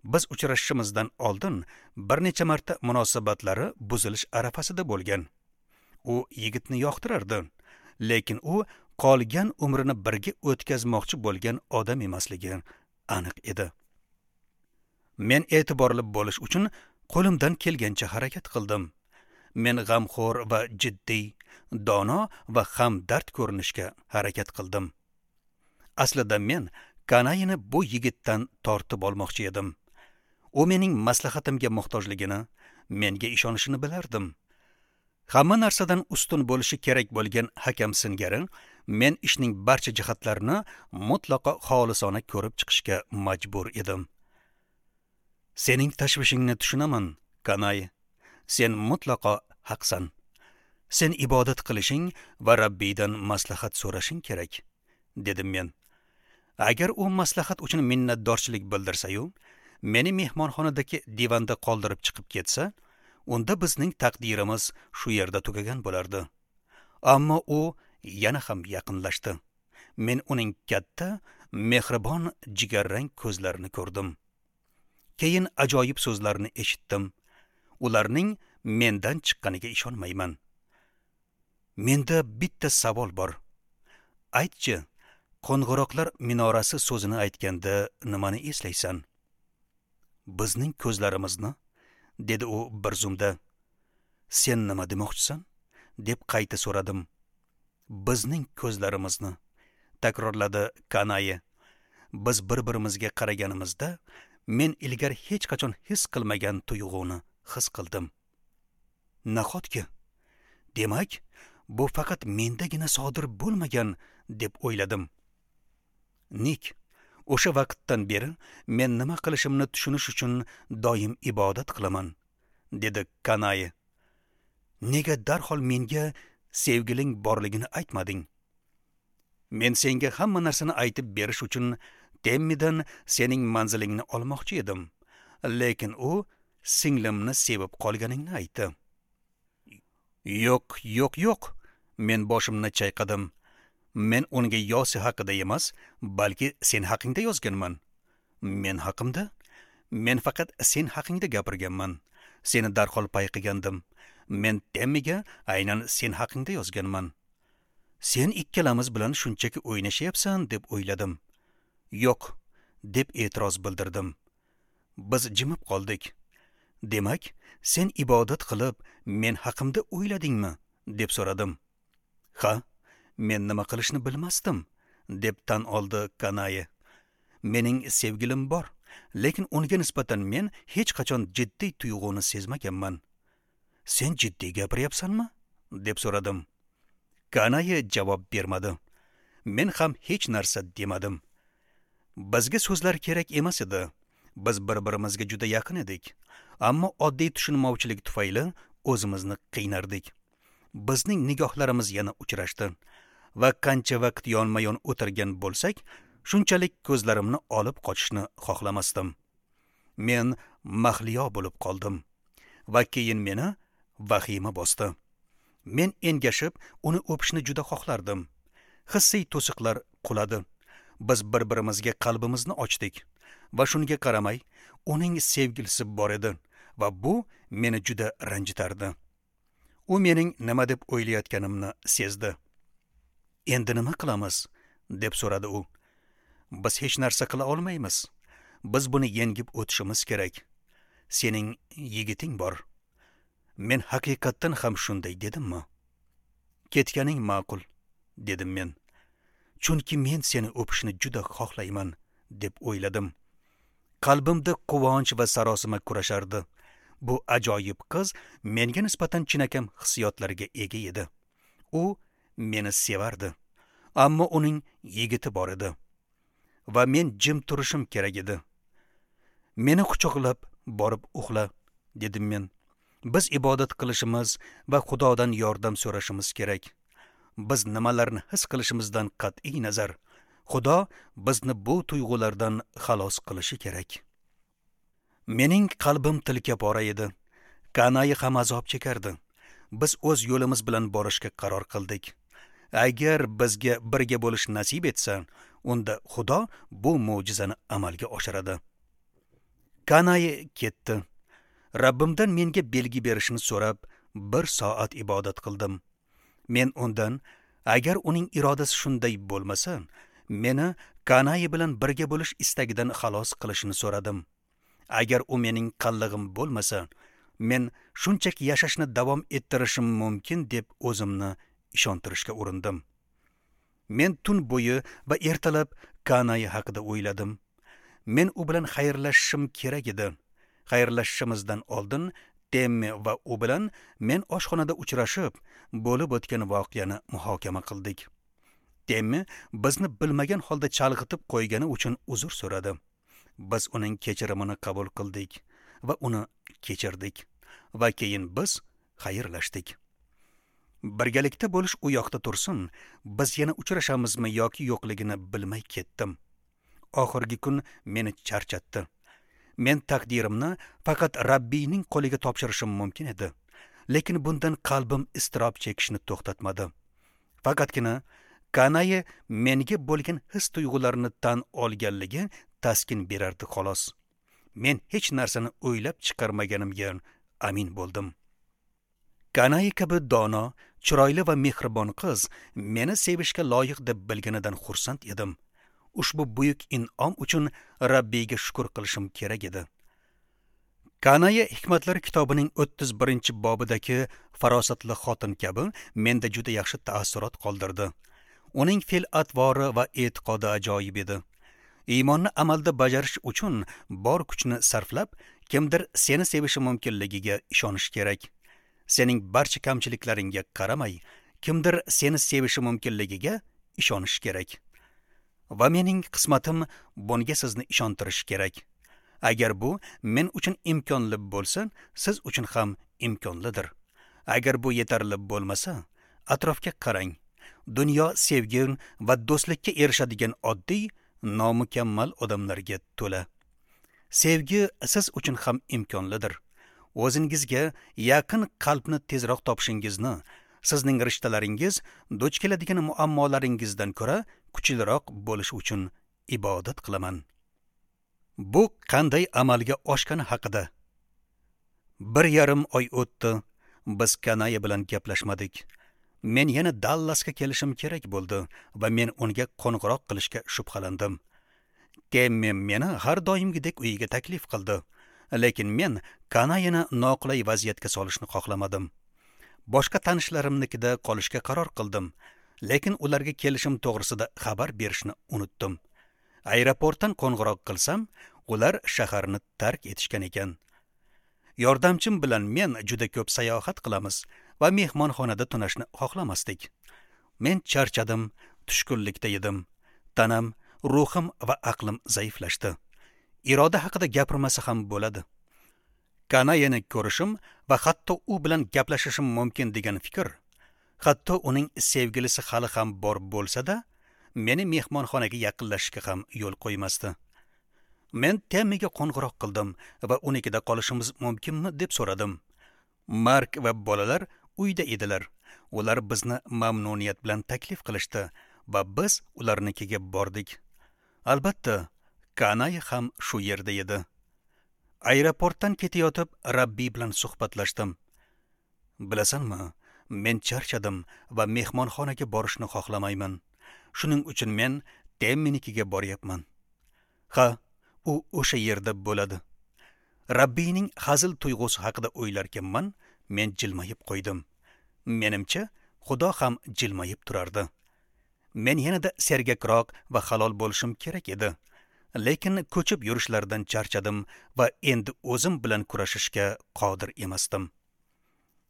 Biz uchrashishimizdan oldin bir necha marta munosabatlari buzilish arafasida bo'lgan. U yigitni yoqtirardi, lekin u qolgan umrini birga o'tkazmoqchi bo'lgan odam emasligi aniq edi. Men e'tiborli bo'lish uchun Qo'limdan kelgancha harakat qildim. Men g'amxo'r va jiddiy, dono va hamdard ko'rinishga harakat qildim. Aslida men Kanayini bu yigitdan tortib olmoqchi edim. U mening maslahatimga muhtojligini, menga ishonishini bilardim. Hamma narsadan ustun bo'lishi kerak bo'lgan hakam singari men ishning barcha jihatlarini mutlaqo xolisona ko'rib chiqishga majbur edim. Sening tashvishingni tushunaman, Kanay. Sen mutlaqo haqsan. Sen ibodat qilishing va Rabbiydan maslahat so'rashing kerak, dedim men. Agar u maslahat uchun minnatdorchilik bildirsa-yu, meni mehmonxonadagi divanda qoldirib chiqib ketsa, unda bizning taqdirimiz shu yerda tugagan bo'lardi. Ammo u yana ham yaqinlashdi. Men uning katta, mehribon jigarrang ko'zlarini ko'rdim. Keyin ajoyib so'zlarni eshitdim. Ularning mendan chiqqaniga ishonmayman. Menda bitta savol bor. Aytchi, qo'ng'iroqlar minorasi so'zini aytganda nimani eslaysan? Bizning ko'zlarimizni, dedi u bir zumda. Sen nima demoqchisan? Deb qayta so'radim. Bizning ko'zlarimizni, takrorladi Kanayi. Biz bir-birimizga qaraganimizda men ilgari hech qachon his qilmagan tuyg'uni his qildim. Nahotki? Demak, bu faqat mendagina sodir bo'lmagan deb o'yladim. Nik, o'sha vaqtdan beri men nima qilishimni tushunish uchun doim ibodat qilaman, dedi Kanayi. Nega darhol menga sevgiling borligini aytmading? Men senga hamma narsani aytib berish uchun Temmidan sening manzilingni olmoqchi edim, lekin u singlimni sevib qolganingni aytdi. Yo'q, yo'q, yo'q, men boshimni chayqadim. Men unga Yosi haqida emas, balki sen haqingda yozganman. Men haqimda? Men faqat sen haqingda gapirganman. Seni darhol payqagandim. Men Temmiga aynan sen haqingda yozganman. Sen ikkalamiz bilan shunchaki o'ynashyapsan deb o'yladim. Yo'q, deb e'tiroz bildirdim. Biz jimib qoldik. Demak, sen ibodat qilib men haqimda o'yladingmi? Deb so'radim. Ha, men nima qilishni bilmasdim, deb tan oldi Kanayi. Mening sevgilim bor, lekin unga nisbatan men hech qachon jiddiy tuyg'uni sezmaganman. Sen jiddiy gapiryapsanmi? Deb so'radim. Kanayi javob bermadi. Men ham hech narsa demadim. Bizga so'zlar kerak emas edi. Biz bir-birimizga juda yaqin edik. Ammo oddiy tushunmovchilik tufayli o'zimizni qiynardik. Bizning nigohlarimiz yana uchrashdi va qancha vaqt yonma-yon o'tirgan bo'lsak, shunchalik ko'zlarimni olib qochishni xohlamasdim. Men mahliyo bo'lib qoldim va keyin meni vahima bosdi. Men engashib, uni o'pishni juda xohlardim. Hissiy to'siqlar quladi. Biz bir-birimizga qalbimizni ochdik va shunga qaramay, uning sevgilisi bor edi va bu meni juda ranjitardi. U mening nima deb o'ylayotganimni sezdi. Endi nima qilamiz? Deb so'radi u. Biz hech narsa qila olmaymiz. Biz buni yengib o'tishimiz kerak. Sening yigiting bor. Men haqiqatdan ham shunday dedimmi? Ketganing ma'qul, dedim men. Chunki men seni o'pishni juda xohlayman, deb o'yladim. Qalbimda quvonch va sarosima kurashardi. Bu ajoyib qiz menga nisbatan chinakam hissiyotlarga ega edi. U meni sevardi. Ammo uning yigiti bor edi. Va men jim turishim kerak edi. Meni quchoqlab borib uxla, dedim men. Biz ibodat qilishimiz va Xudodan yordam so'rashimiz kerak. Biz nimalarni his qilishimizdan qat'iy nazar, Xudo bizni bu tuyg'ulardan xalos qilishi kerak. Mening qalbim tilka pora edi. Kanayi ham azob chekardi. Biz o'z yo'limiz bilan borishga qaror qildik. Agar bizga birga bo'lish nasib etsa, unda Xudo bu mo'jizani amalga oshiradi. Kanayi ketdi. Rabbimdan menga belgi berishini so'rab, 1 soat ibodat qildim. Men undan, agar uning irodasi shunday bo'lmasa, meni Kanayi bilan birga bo'lish istagidan xalos qilishini so'radim. Agar u mening qallig'im bo'lmasa, men shunchaki yashashni davom ettirishim mumkin deb o'zimni ishontirishga urindim. Men tun bo'yi va ertalab Kanai haqida o'yladim. Men u bilan xayrlashishim kerak edi. Xayrlashishimizdan oldin Temmi va u bilan men oshxonada uchrashib, bo'lib o'tgan voqeani muhokama qildik. Temmi bizni bilmagan holda chalg'itib qo'ygani uchun uzr so'radi. Biz uning kechirimini qabul qildik va uni kechirdik va keyin biz xayrlashdik. Birgalikda bo'lish u yoqda tursin, biz yana uchrashamizmi yoki yo'qligini bilmay ketdim. Oxirgi kun meni charchatdi. Men taqdirimni faqat Rabbiyning qo'liga topshirishim mumkin edi. Lekin bundan qalbim iztirob chekishni to'xtatmadi. Faqatgina Kanai menga bo'lgan his tuyg'ularini tan olganligi taskin berardi xolos. Men hech narsani o'ylab chiqarmaganimga amin bo'ldim. Kanai kabi dono, chiroyli va mehribon qiz meni sevishga loyiq deb bilganidan xursand edim. Ushbu buyuk in'om uchun Rabbiyga shukr qilishim kerak edi. Kanai Hikmatlar kitobining 31-bobidagi farosatli xotin kabi menda juda yaxshi taassurot qoldirdi. Uning fe'l-atvori va e'tiqodi ajoyib edi. Iymonni amalda bajarish uchun bor kuchni sarflab, kimdir seni sevishi mumkinligiga ishonish kerak. Sening barcha kamchiliklaringga qaramay, kimdir seni sevishi mumkinligiga ishonish kerak. Va mening qismatim bunga sizni ishontirish kerak. Agar bu men uchun imkonli bo'lsa, siz uchun ham imkonlidir. Agar bu yetarli bo'lmasa, atrofga qarang. Dunyo sevgi va do'stlikka erishadigan oddiy, nomukammal odamlarga to'la. Sevgi siz uchun ham imkonlidir. O'zingizga yaqin qalbni tezroq topishingizni, sizning rishtalaringiz duch keladigan muammolaringizdan ko'ra kuchliroq bo'lishi uchun ibodat qilaman. Bu qanday amalga oshgani haqida. 1,5 oy o'tdi. Biz Kanai bilan gaplashmadik. Men yana Dallasga kelishim kerak bo'ldi va men unga qo'ng'iroq qilishga shubhalandim. Temmi meni har doimgidek uyiga taklif qildi, lekin men Kanayini noqulay vaziyatga solishni xohlamadim. Boshqa tanishlarimnikida qolishga qaror qildim, lekin ularga kelishim to'g'risida xabar berishni unutdim. Aeroportdan qo'ng'iroq qilsam, ular shaharni tark etishgan ekan. Yordamchim bilan men juda ko'p sayohat qilamiz va mehmonxonada tunashni xohlamasdik. Men charchadim, tushkunlikda edim. Tanam, ruhim va aqlim zaiflashdi. Iroda haqida gapirmasa ham bo'ladi. Kanayini ko'rishim va hatto u bilan gaplashishim mumkin degan fikr, hatto uning sevgilisi hali ham bor bo'lsa-da, meni mehmonxonaga yaqinlashishga ham yo'l qo'ymasdi. Men Temmiga qo'ng'iroq qildim va unikida qolishimiz mumkinmi deb so'radim. Mark va bolalar uyda edilar. Ular bizni mamnuniyat bilan taklif qilishdi va biz ularnikiga bordik. Albatta, Kanai ham shu yerda edi. Aeroportdan ketayotib Rabbiy bilan suhbatlashdim. Bilasanmi, men charchadim va mehmonxonaga borishni xohlamayman. Shuning uchun men Temminikiga boryapman. Ha, u o'sha yerda bo'ladi. Rabbiyning hazil tuyg'usi haqida o'ylarkanman, men jilmayib qo'ydim. Menimcha, Xudo ham jilmayib turardi. Men yanada sergakroq va halol bo'lishim kerak edi. Lekin ko'chib yurishlardan charchadim va endi o'zim bilan kurashishga qodir emasdim.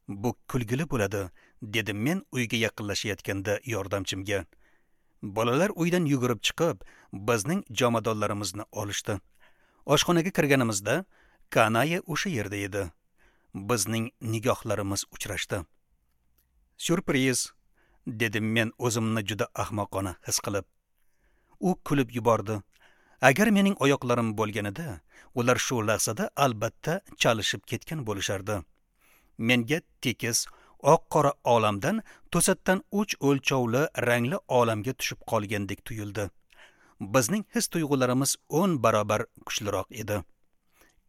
Bu kulgili bo'ladi, dedim men uyga yaqinlashayotganda yordamchimga. Bolalar uydan yugurib chiqib, bizning jomadonlarimizni olishdi. Oshxonaga kirganimizda Kanai o'sha yerda edi. Bizning nigohlarimiz uchrashdi. Syurpriz, dedim men o'zimni juda ahmoqona his qilib. U kulib yubordi. Agar mening oyoqlarim bo'lganida, ular shu lahzada albatta chalishib ketgan bo'lishardi. Menga tekis, oq-qora olamdan to'satdan 3 o'lchovli rangli olamga tushib qolgandek tuyuldi. Bizning his tuyg'ularimiz 10 barobar kuchliroq edi.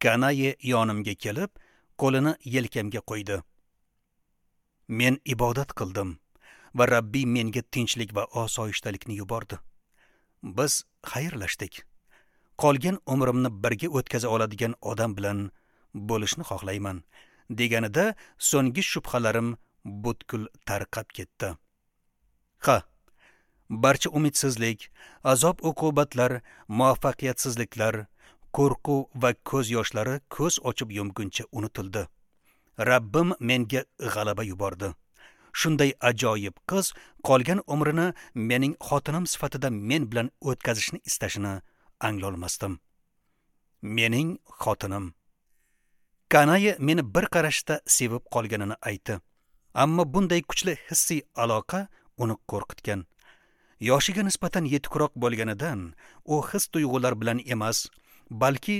Kanai yonimga kelib, qo'lini yelkamga qo'ydi. Men ibodat qildim va Rabbiy menga tinchlik va osoyishtalikni yubordi. Biz xayrlashdik. qolgan umrimni birga o'tkaza oladigan odam bilan bo'lishni xohlayman, deganida so'nggi shubhalarim butkul tarqab ketdi. Ha, barcha umidsizlik, azob uqubatlar, muvaffaqiyatsizliklar, qo'rquv va ko'z yoshlari ko'z ochib yumguncha unutildi. Rabbim menga g'alaba yubordi. Shunday ajoyib qiz qolgan umrini mening xotinim sifatida men bilan o'tkazishni istashini anglolmasdim. Mening xotinim. Kanayi meni bir qarashda sevib qolganini aytdi. Ammo bunday kuchli hissiy aloqa uni qo'rqitgan. Yoshiga nisbatan yetukroq bo'lganidan u his tuyg'ular bilan emas, balki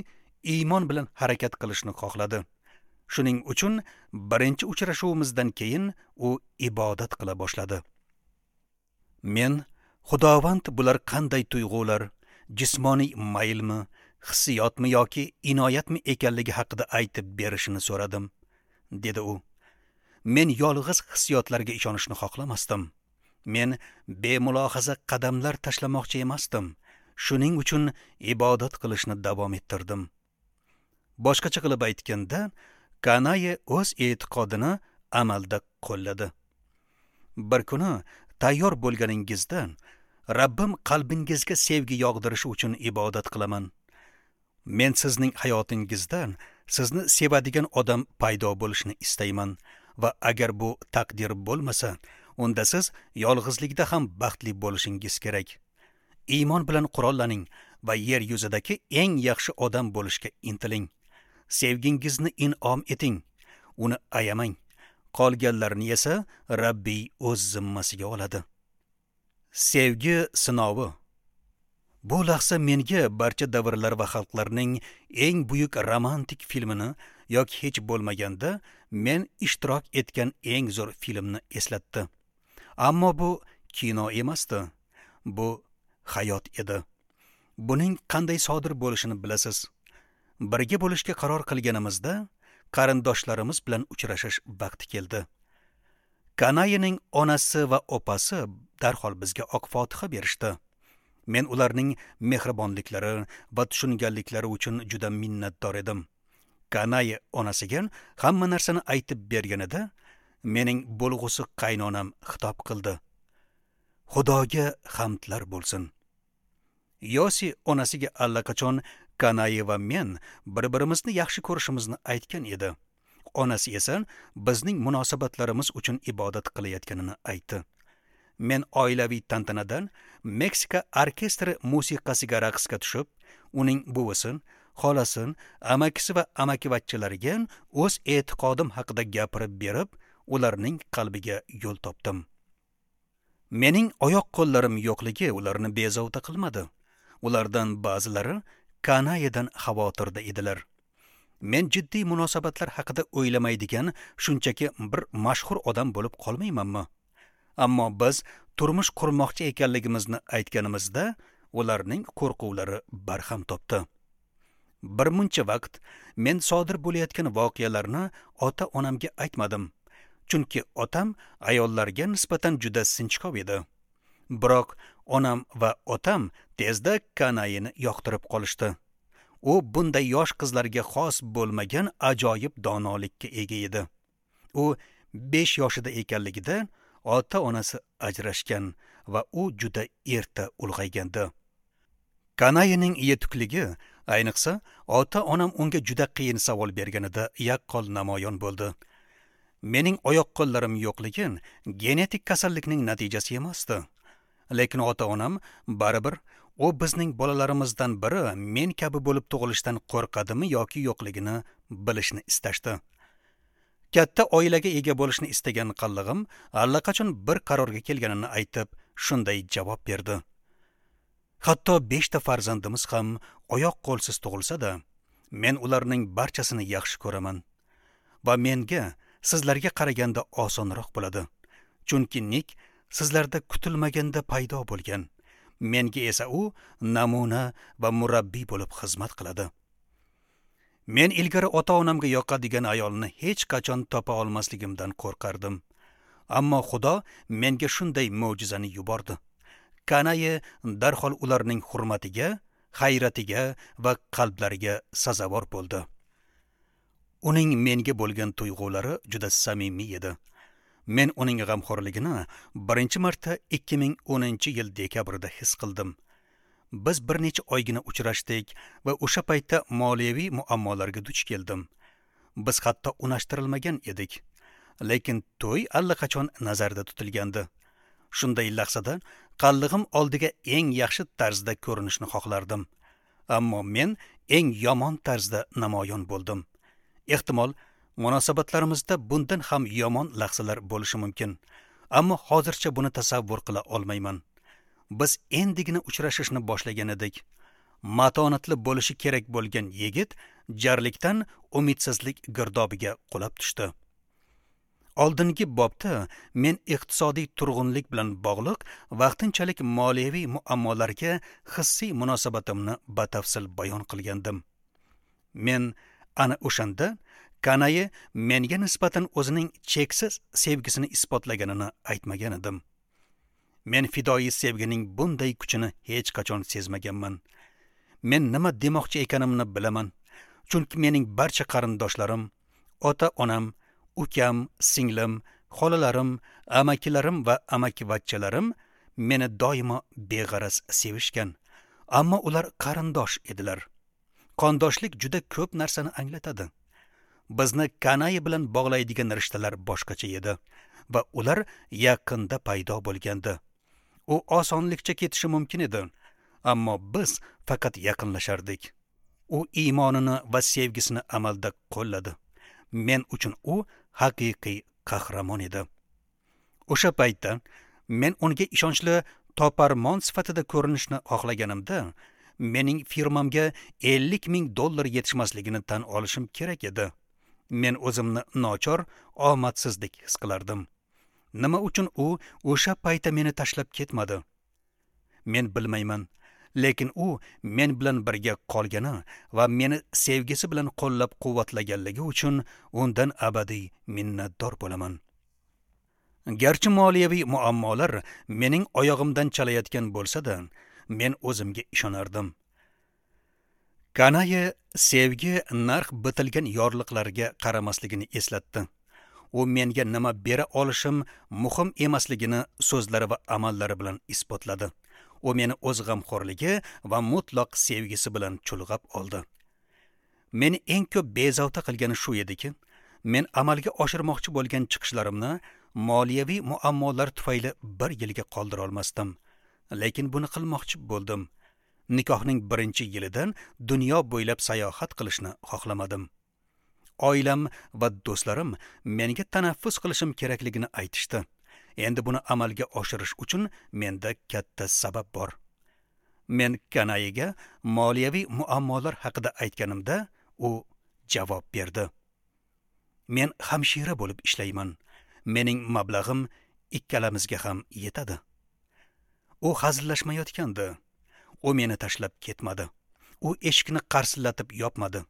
iymon bilan harakat qilishni xohladi. Shuning uchun birinchi uchrashuvimizdan keyin u ibodat qila boshladi. Men Xudovand bular qanday tuyg'ular, jismoniy maylmi, hissiyotmi yoki inoyatmi ekanligi haqida aytib berishini so'radim, dedi u. Men yolg'iz hissiyotlarga ishonishni xohlamasdim. Men bemulohaza qadamlar tashlamoqchi emasdim. Shuning uchun ibodat qilishni davom ettirdim. Boshqacha qilib aytganda, Kanayi o'z e'tiqodini amalda qo'lladi. Bir kuni tayyor bo'lganingizda Rabbim qalbingizga sevgi yog'dirishi uchun ibodat qilaman. Men sizning hayotingizda sizni sevadigan odam paydo bo'lishini istayman va agar bu taqdir bo'lmasa, unda siz yolg'izlikda ham baxtli bo'lishingiz kerak. Iymon bilan qurollaning va yer yuzidagi eng yaxshi odam bo'lishga intiling. Sevgingizni in'om eting, uni ayamang. Qolganlarni esa Rabbiy o'z zimmasiga oladi. Sevgi sinovi. Bu lahza menga barcha davrlar va xalqlarning eng buyuk romantik filmini yoki hech bo'lmaganda men ishtirok etgan eng zo'r filmni eslatdi. Ammo bu kino emasdi. Bu hayot edi. Buning qanday sodir bo'lishini bilasiz. Birga bo'lishga qaror qilganimizda qarindoshlarimiz bilan uchrashish vaqti keldi. Kanayining onasi va opasi darhol bizga oq fotiha berishdi. Men ularning mehribonliklari va tushunganliklari uchun juda minnatdor edim. Kanayi onasiga hamma narsani aytib berganida mening bo'lg'usi qaynonam xitob qildi. Xudoga hamdlar bo'lsin. Yosi onasiga allaqachon Kanayi va men bir-birimizni yaxshi ko'rishimizni aytgan edi. Onasi esa bizning munosabatlarimiz uchun ibodat qilayotganini aytdi. Men oilaviy tantanadan Meksika orkestri musiqasiga raqsga tushib, uning buvisi, xolasi, amakisi va amakivachchalariga o'z e'tiqodim haqida gapirib berib, ularning qalbiga yo'l topdim. Mening oyoq qo'llarim yo'qligi ularni bezovta qilmadi. Ulardan ba'zilari Kanayidan xavotirda edilar. Men jiddiy munosabatlar haqida o'ylamaydigan shunchaki bir mashhur odam bo'lib qolmaymanmi? Ammo biz turmush qurmoqchi ekanligimizni aytganimizda ularning qo'rquvlari barham topdi. Bir muncha vaqt men sodir bo'layotgan voqealarni ota-onamga aytmadim, chunki otam ayollarga nisbatan juda sinchkov edi. Biroq onam va otam tezda Kanayini yoqtirib qolishdi. U bunday yosh qizlarga xos bo'lmagan ajoyib donolikka ega edi. U 5 yoshida ekanligida ota-onasi ajrashgan va u juda erta ulg'aygandi. Kanayining yetukligi, ayniqsa, ota-onam unga juda qiyin savol berganida yaqqol namoyon bo'ldi. Mening oyoq qo'llarim yo'qligi genetik kasallikning natijasi emasdi. Lekin ota-onam baribir u bizning bolalarimizdan biri men kabi bo'lib tug'ilishdan qo'rqadimi yoki yo'qligini bilishni istashdi. Katta oilaga ega bo'lishni istagan qallig'im allaqachon bir qarorga kelganini aytib, shunday javob berdi. Hatto 5 ta farzandimiz ham oyoq qo'lsiz tug'ilsa-da, men ularning barchasini yaxshi ko'raman va menga sizlarga qaraganda osonroq bo'ladi. Chunki Nik sizlarda kutilmaganda paydo bo'lgan. Menga esa u namuna va murabbiy bo'lib xizmat qiladi. Men ilgari ota-onamga yoqadigan ayolni hech qachon topa olmasligimdan qo'rqardim. Ammo Xudo menga shunday mo'jizani yubordi. Kanayi darhol ularning hurmatiga hayratiga va qalblariga sazovor bo'ldi. Uning menga bo'lgan tuyg'ulari juda samimiy edi. Men uning g'amxo'rligini birinchi marta 2010-yil dekabrda his qildim. Biz bir necha oygina uchrashdik va o'sha paytda moliyaviy muammolarga duch keldim. Biz hatto unashtirilmagan edik, lekin to'y allaqachon nazarda tutilgandi. Shunday lahzada qallig'im oldiga eng yaxshi tarzda ko'rinishni xohlardim. Ammo men eng yomon tarzda namoyon bo'ldim. Ehtimol, munosabatlarimizda bundan ham yomon lahzalar bo'lishi mumkin. Ammo hozircha buni tasavvur qila olmayman. Biz endigina uchrashishni boshlagan edik. Matonatli bo'lishi kerak bo'lgan yigit jarlikdan umidsizlik girdobiga qulab tushdi. Oldingi bobda men iqtisodiy turg'unlik bilan bog'liq vaqtinchalik moliyaviy muammolarga hissiy munosabatimni batafsil bayon qilgandim. Men ana o'shanda Kanayi menga nisbatan o'zining cheksiz sevgisini isbotlaganini aytmagan edim. Men fidoyi sevgining bunday kuchini hech qachon sezmaganman. Men nima demoqchi ekanimni bilaman. Chunki mening barcha qarindoshlarim, ota-onam, ukam, singlim, xolalarim, amakilarim va amakivachchalarim meni doimo beg'araz sevishgan. Ammo ular qarindosh edilar. Qondoshlik juda ko'p narsani anglatadi. Bizni Kanayi bilan bog'laydigan rishtalar boshqacha edi va ular yaqinda paydo bo'lgandi. U osonlikcha ketishi mumkin edi, ammo biz faqat yaqinlashardik. U iymonini va sevgisini amalda qo'lladi. Men uchun u haqiqiy qahramon edi. O'sha paytda men unga ishonchli toparmon sifatida ko'rinishni xohlaganimda, mening firmamga $50,000 yetishmasligini tan olishim kerak edi. Men o'zimni nochor, omadsizdek his qilardim. Nima uchun u o'sha paytda meni tashlab ketmadi? Men bilmayman, lekin u men bilan birga qolgani va meni sevgisi bilan qo'llab-quvvatlaganligi uchun undan abadiy minnatdor bo'laman. Garchi moliyaviy muammolar mening oyog'imdan chalayotgan bo'lsa-da, men o'zimga ishonardim. Kanayi sevgi narx bitilgan yorliqlarga qaramasligini eslatdi. U menga nima bera olishim muhim emasligini so'zlari va amallari bilan isbotladi. U meni o'z g'amxo'rligi va mutlaq sevgisi bilan chulg'ab oldi. Meni eng ko'p bezovta qilgani shu ediki, men amalga oshirmoqchi bo'lgan chiqishlarimni moliyaviy muammolar tufayli bir yilga qoldira olmasdim. Lekin buni qilmoqchi bo'ldim. Nikohning birinchi yilidan dunyo bo'ylab sayohat qilishni xohlamadim. Oilam va do'stlarim menga tanaffus qilishim kerakligini aytishdi. Endi buni amalga oshirish uchun menda katta sabab bor. Men Kanayiga moliyaviy muammolar haqida aytganimda, u javob berdi. Men hamshira bo'lib ishlayman. Mening mablag'im ikkalamizga ham yetadi. U hazillashmayotgandi. U meni tashlab ketmadi. U eshikni qarsillatib yopmadi.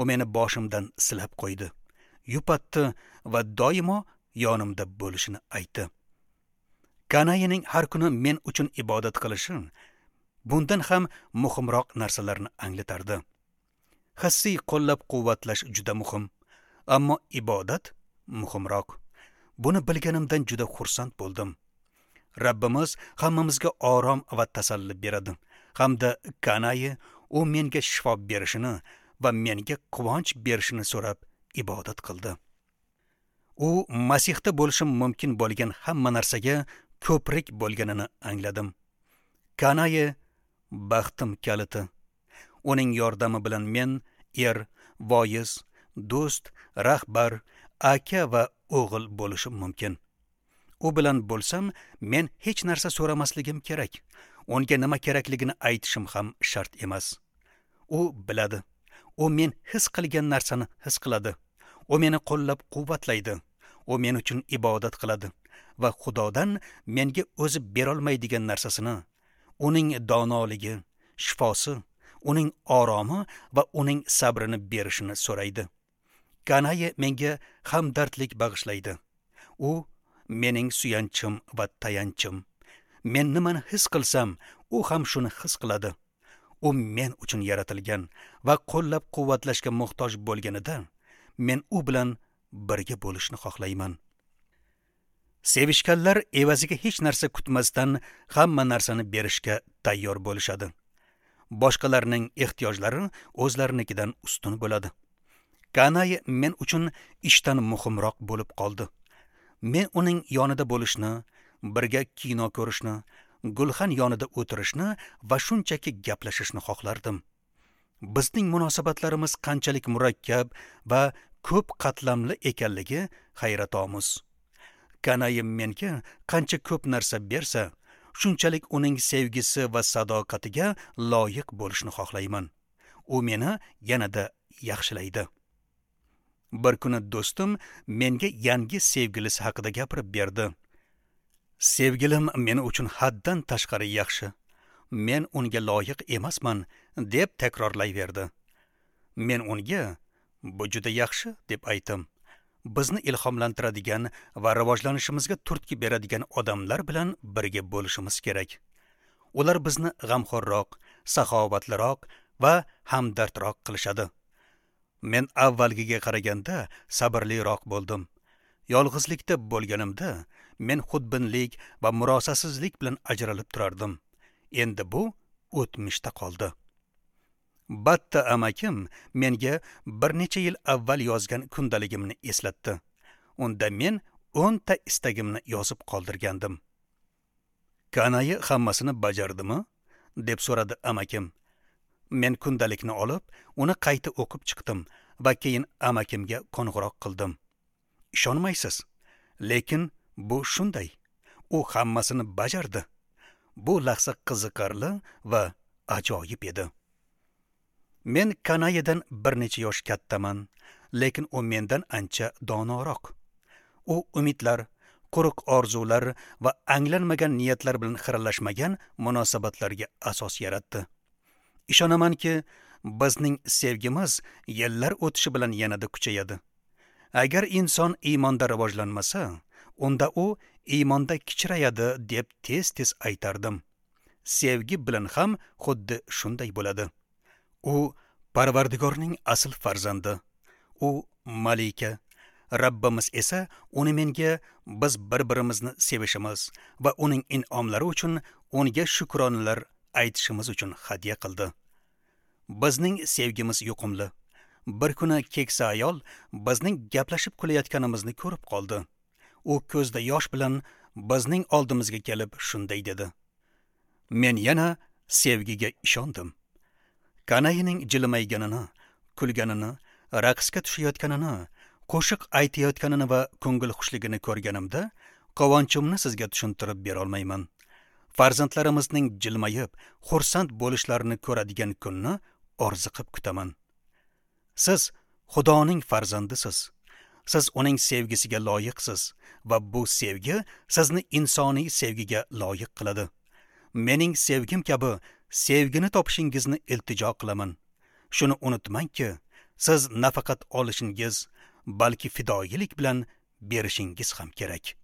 U meni boshimdan silab qo'ydi, yupatdi va doimo yonimda bo'lishini aytdi. Kanayining har kuni men uchun ibodat qilishi bundan ham muhimroq narsalarni anglatardi. Hissiy qo'llab-quvvatlash juda muhim, ammo ibodat muhimroq. Buni bilganimdan juda xursand bo'ldim. Rabbimiz hammamizga orom va tasalli beradi. Hamda Kanayi u menga shifo berishini va menga quvonch berishini so'rab ibodat qildi. U Masihda bo'lishim mumkin bo'lgan hamma narsaga ko'prik bo'lganini angladim. Kanayi baxtim kaliti. Uning yordami bilan men er, voiz, do'st, rahbar, aka va o'g'il bo'lishim mumkin. U bilan bo'lsam, men hech narsa so'ramasligim kerak. Unga nima kerakligini aytishim ham shart emas. U biladi. U men his qilgan narsani his qiladi. U meni qo'llab-quvvatlaydi. U men uchun ibodat qiladi va Xudodan menga o'zi berolmaydigan narsasini, uning donoligi, shifosi, uning oromi va uning sabrini berishini so'raydi. Kanayi menga hamdardlik bag'ishlaydi. U mening suyanchim va tayanchim. Men nimani his qilsam, u ham shuni his qiladi. U men uchun yaratilgan va qo'llab-quvvatlashga muhtoj bo'lganida men u bilan birga bo'lishni xohlayman. Sevishganlar evaziga hech narsa kutmasdan hamma narsani berishga tayyor bo'lishadi. Boshqalarning ehtiyojlari o'zlarinikidan ustun bo'ladi. Kanay men uchun ishdan muhimroq bo'lib qoldi. Men uning yonida bo'lishni, birga kino ko'rishni, gulxan yonida o'tirishni va shunchaki gaplashishni xohlardim. Bizning munosabatlarimiz qanchalik murakkab va ko'p qatlamli ekanligi hayratomuz. Kanayim menga qancha ko'p narsa bersa, shunchalik uning sevgisi va sadoqatiga loyiq bo'lishni xohlayman. U meni yanada yaxshilaydi. Bir kuni do'stim menga yangi sevgilisi haqida gapirib berdi. Sevgilim men uchun haddan tashqari yaxshi. Men unga loyiq emasman, deb takrorlayverdi. Men unga bu juda yaxshi deb aytdim. Bizni ilhomlantiradigan va rivojlanishimizga turtki beradigan odamlar bilan birga bo'lishimiz kerak. Ular bizni g'amxo'rroq, saxovatliroq va hamdardroq qilishadi. Men avvalgiga qaraganda sabrliroq bo'ldim. Yolg'izlikda bo'lganimda men xudbinlik va murosasizlik bilan ajralib turardim. Endi bu o'tmishda qoldi. Batta amakim menga bir necha yil avval yozgan kundaligimni eslatdi. Unda men 10 ta istagimni yozib qoldirgandim. Kanayi hammasini bajardimi? Deb so'radi amakim. Men kundalikni olib, uni qayta o'qib chiqdim va keyin amakimga qo'ng'iroq qildim. Ishonmaysiz, lekin bu shunday. U hammasini bajardi. Bu lahza qiziqarli va ajoyib edi. Men Kanayidan bir necha yosh kattaman, lekin u mendan ancha donoroq. U umidlar, quruq orzular va anglanmagan niyatlar bilan xiralashmagan munosabatlarga asos yaratdi. Ishonamanki, bizning sevgimiz yillar o'tishi bilan yanada kuchayadi. Agar inson iymonda rivojlanmasa, unda u iymonda kichrayadi deb tez-tez aytardim. Sevgi bilan ham xuddi shunday bo'ladi. U Parvardigorning asl farzandi. U malika. Rabbimiz esa uni menga biz bir-birimizni sevishimiz va uning in'omlari uchun unga shukronalar aytishimiz uchun hadya qildi. Bizning sevgimiz yuqumli. Bir kuni keksa ayol bizning gaplashib kulayotganimizni ko'rib qoldi. U ko'zda yosh bilan bizning oldimizga kelib shunday dedi: Men yana sevgiga ishondim. Kanayining jilmayganini, kulganini, raqsga tushayotganini, qo'shiq aytayotganini va ko'ngil xushligini ko'rganimda quvonchimni sizga tushuntirib bera olmayman. Farzandlarimizning jilmayib, xursand bo'lishlarini ko'radigan kunni orziqib kutaman. Siz Xudoning farzandisiz. Siz uning sevgisiga loyiqsiz va bu sevgi sizni insoniy sevgiga loyiq qiladi. Mening sevgim kabi sevgini topishingizni iltijo qilaman. Shuni unutmangki, siz nafaqat olishingiz, balki fidoyilik bilan berishingiz ham kerak.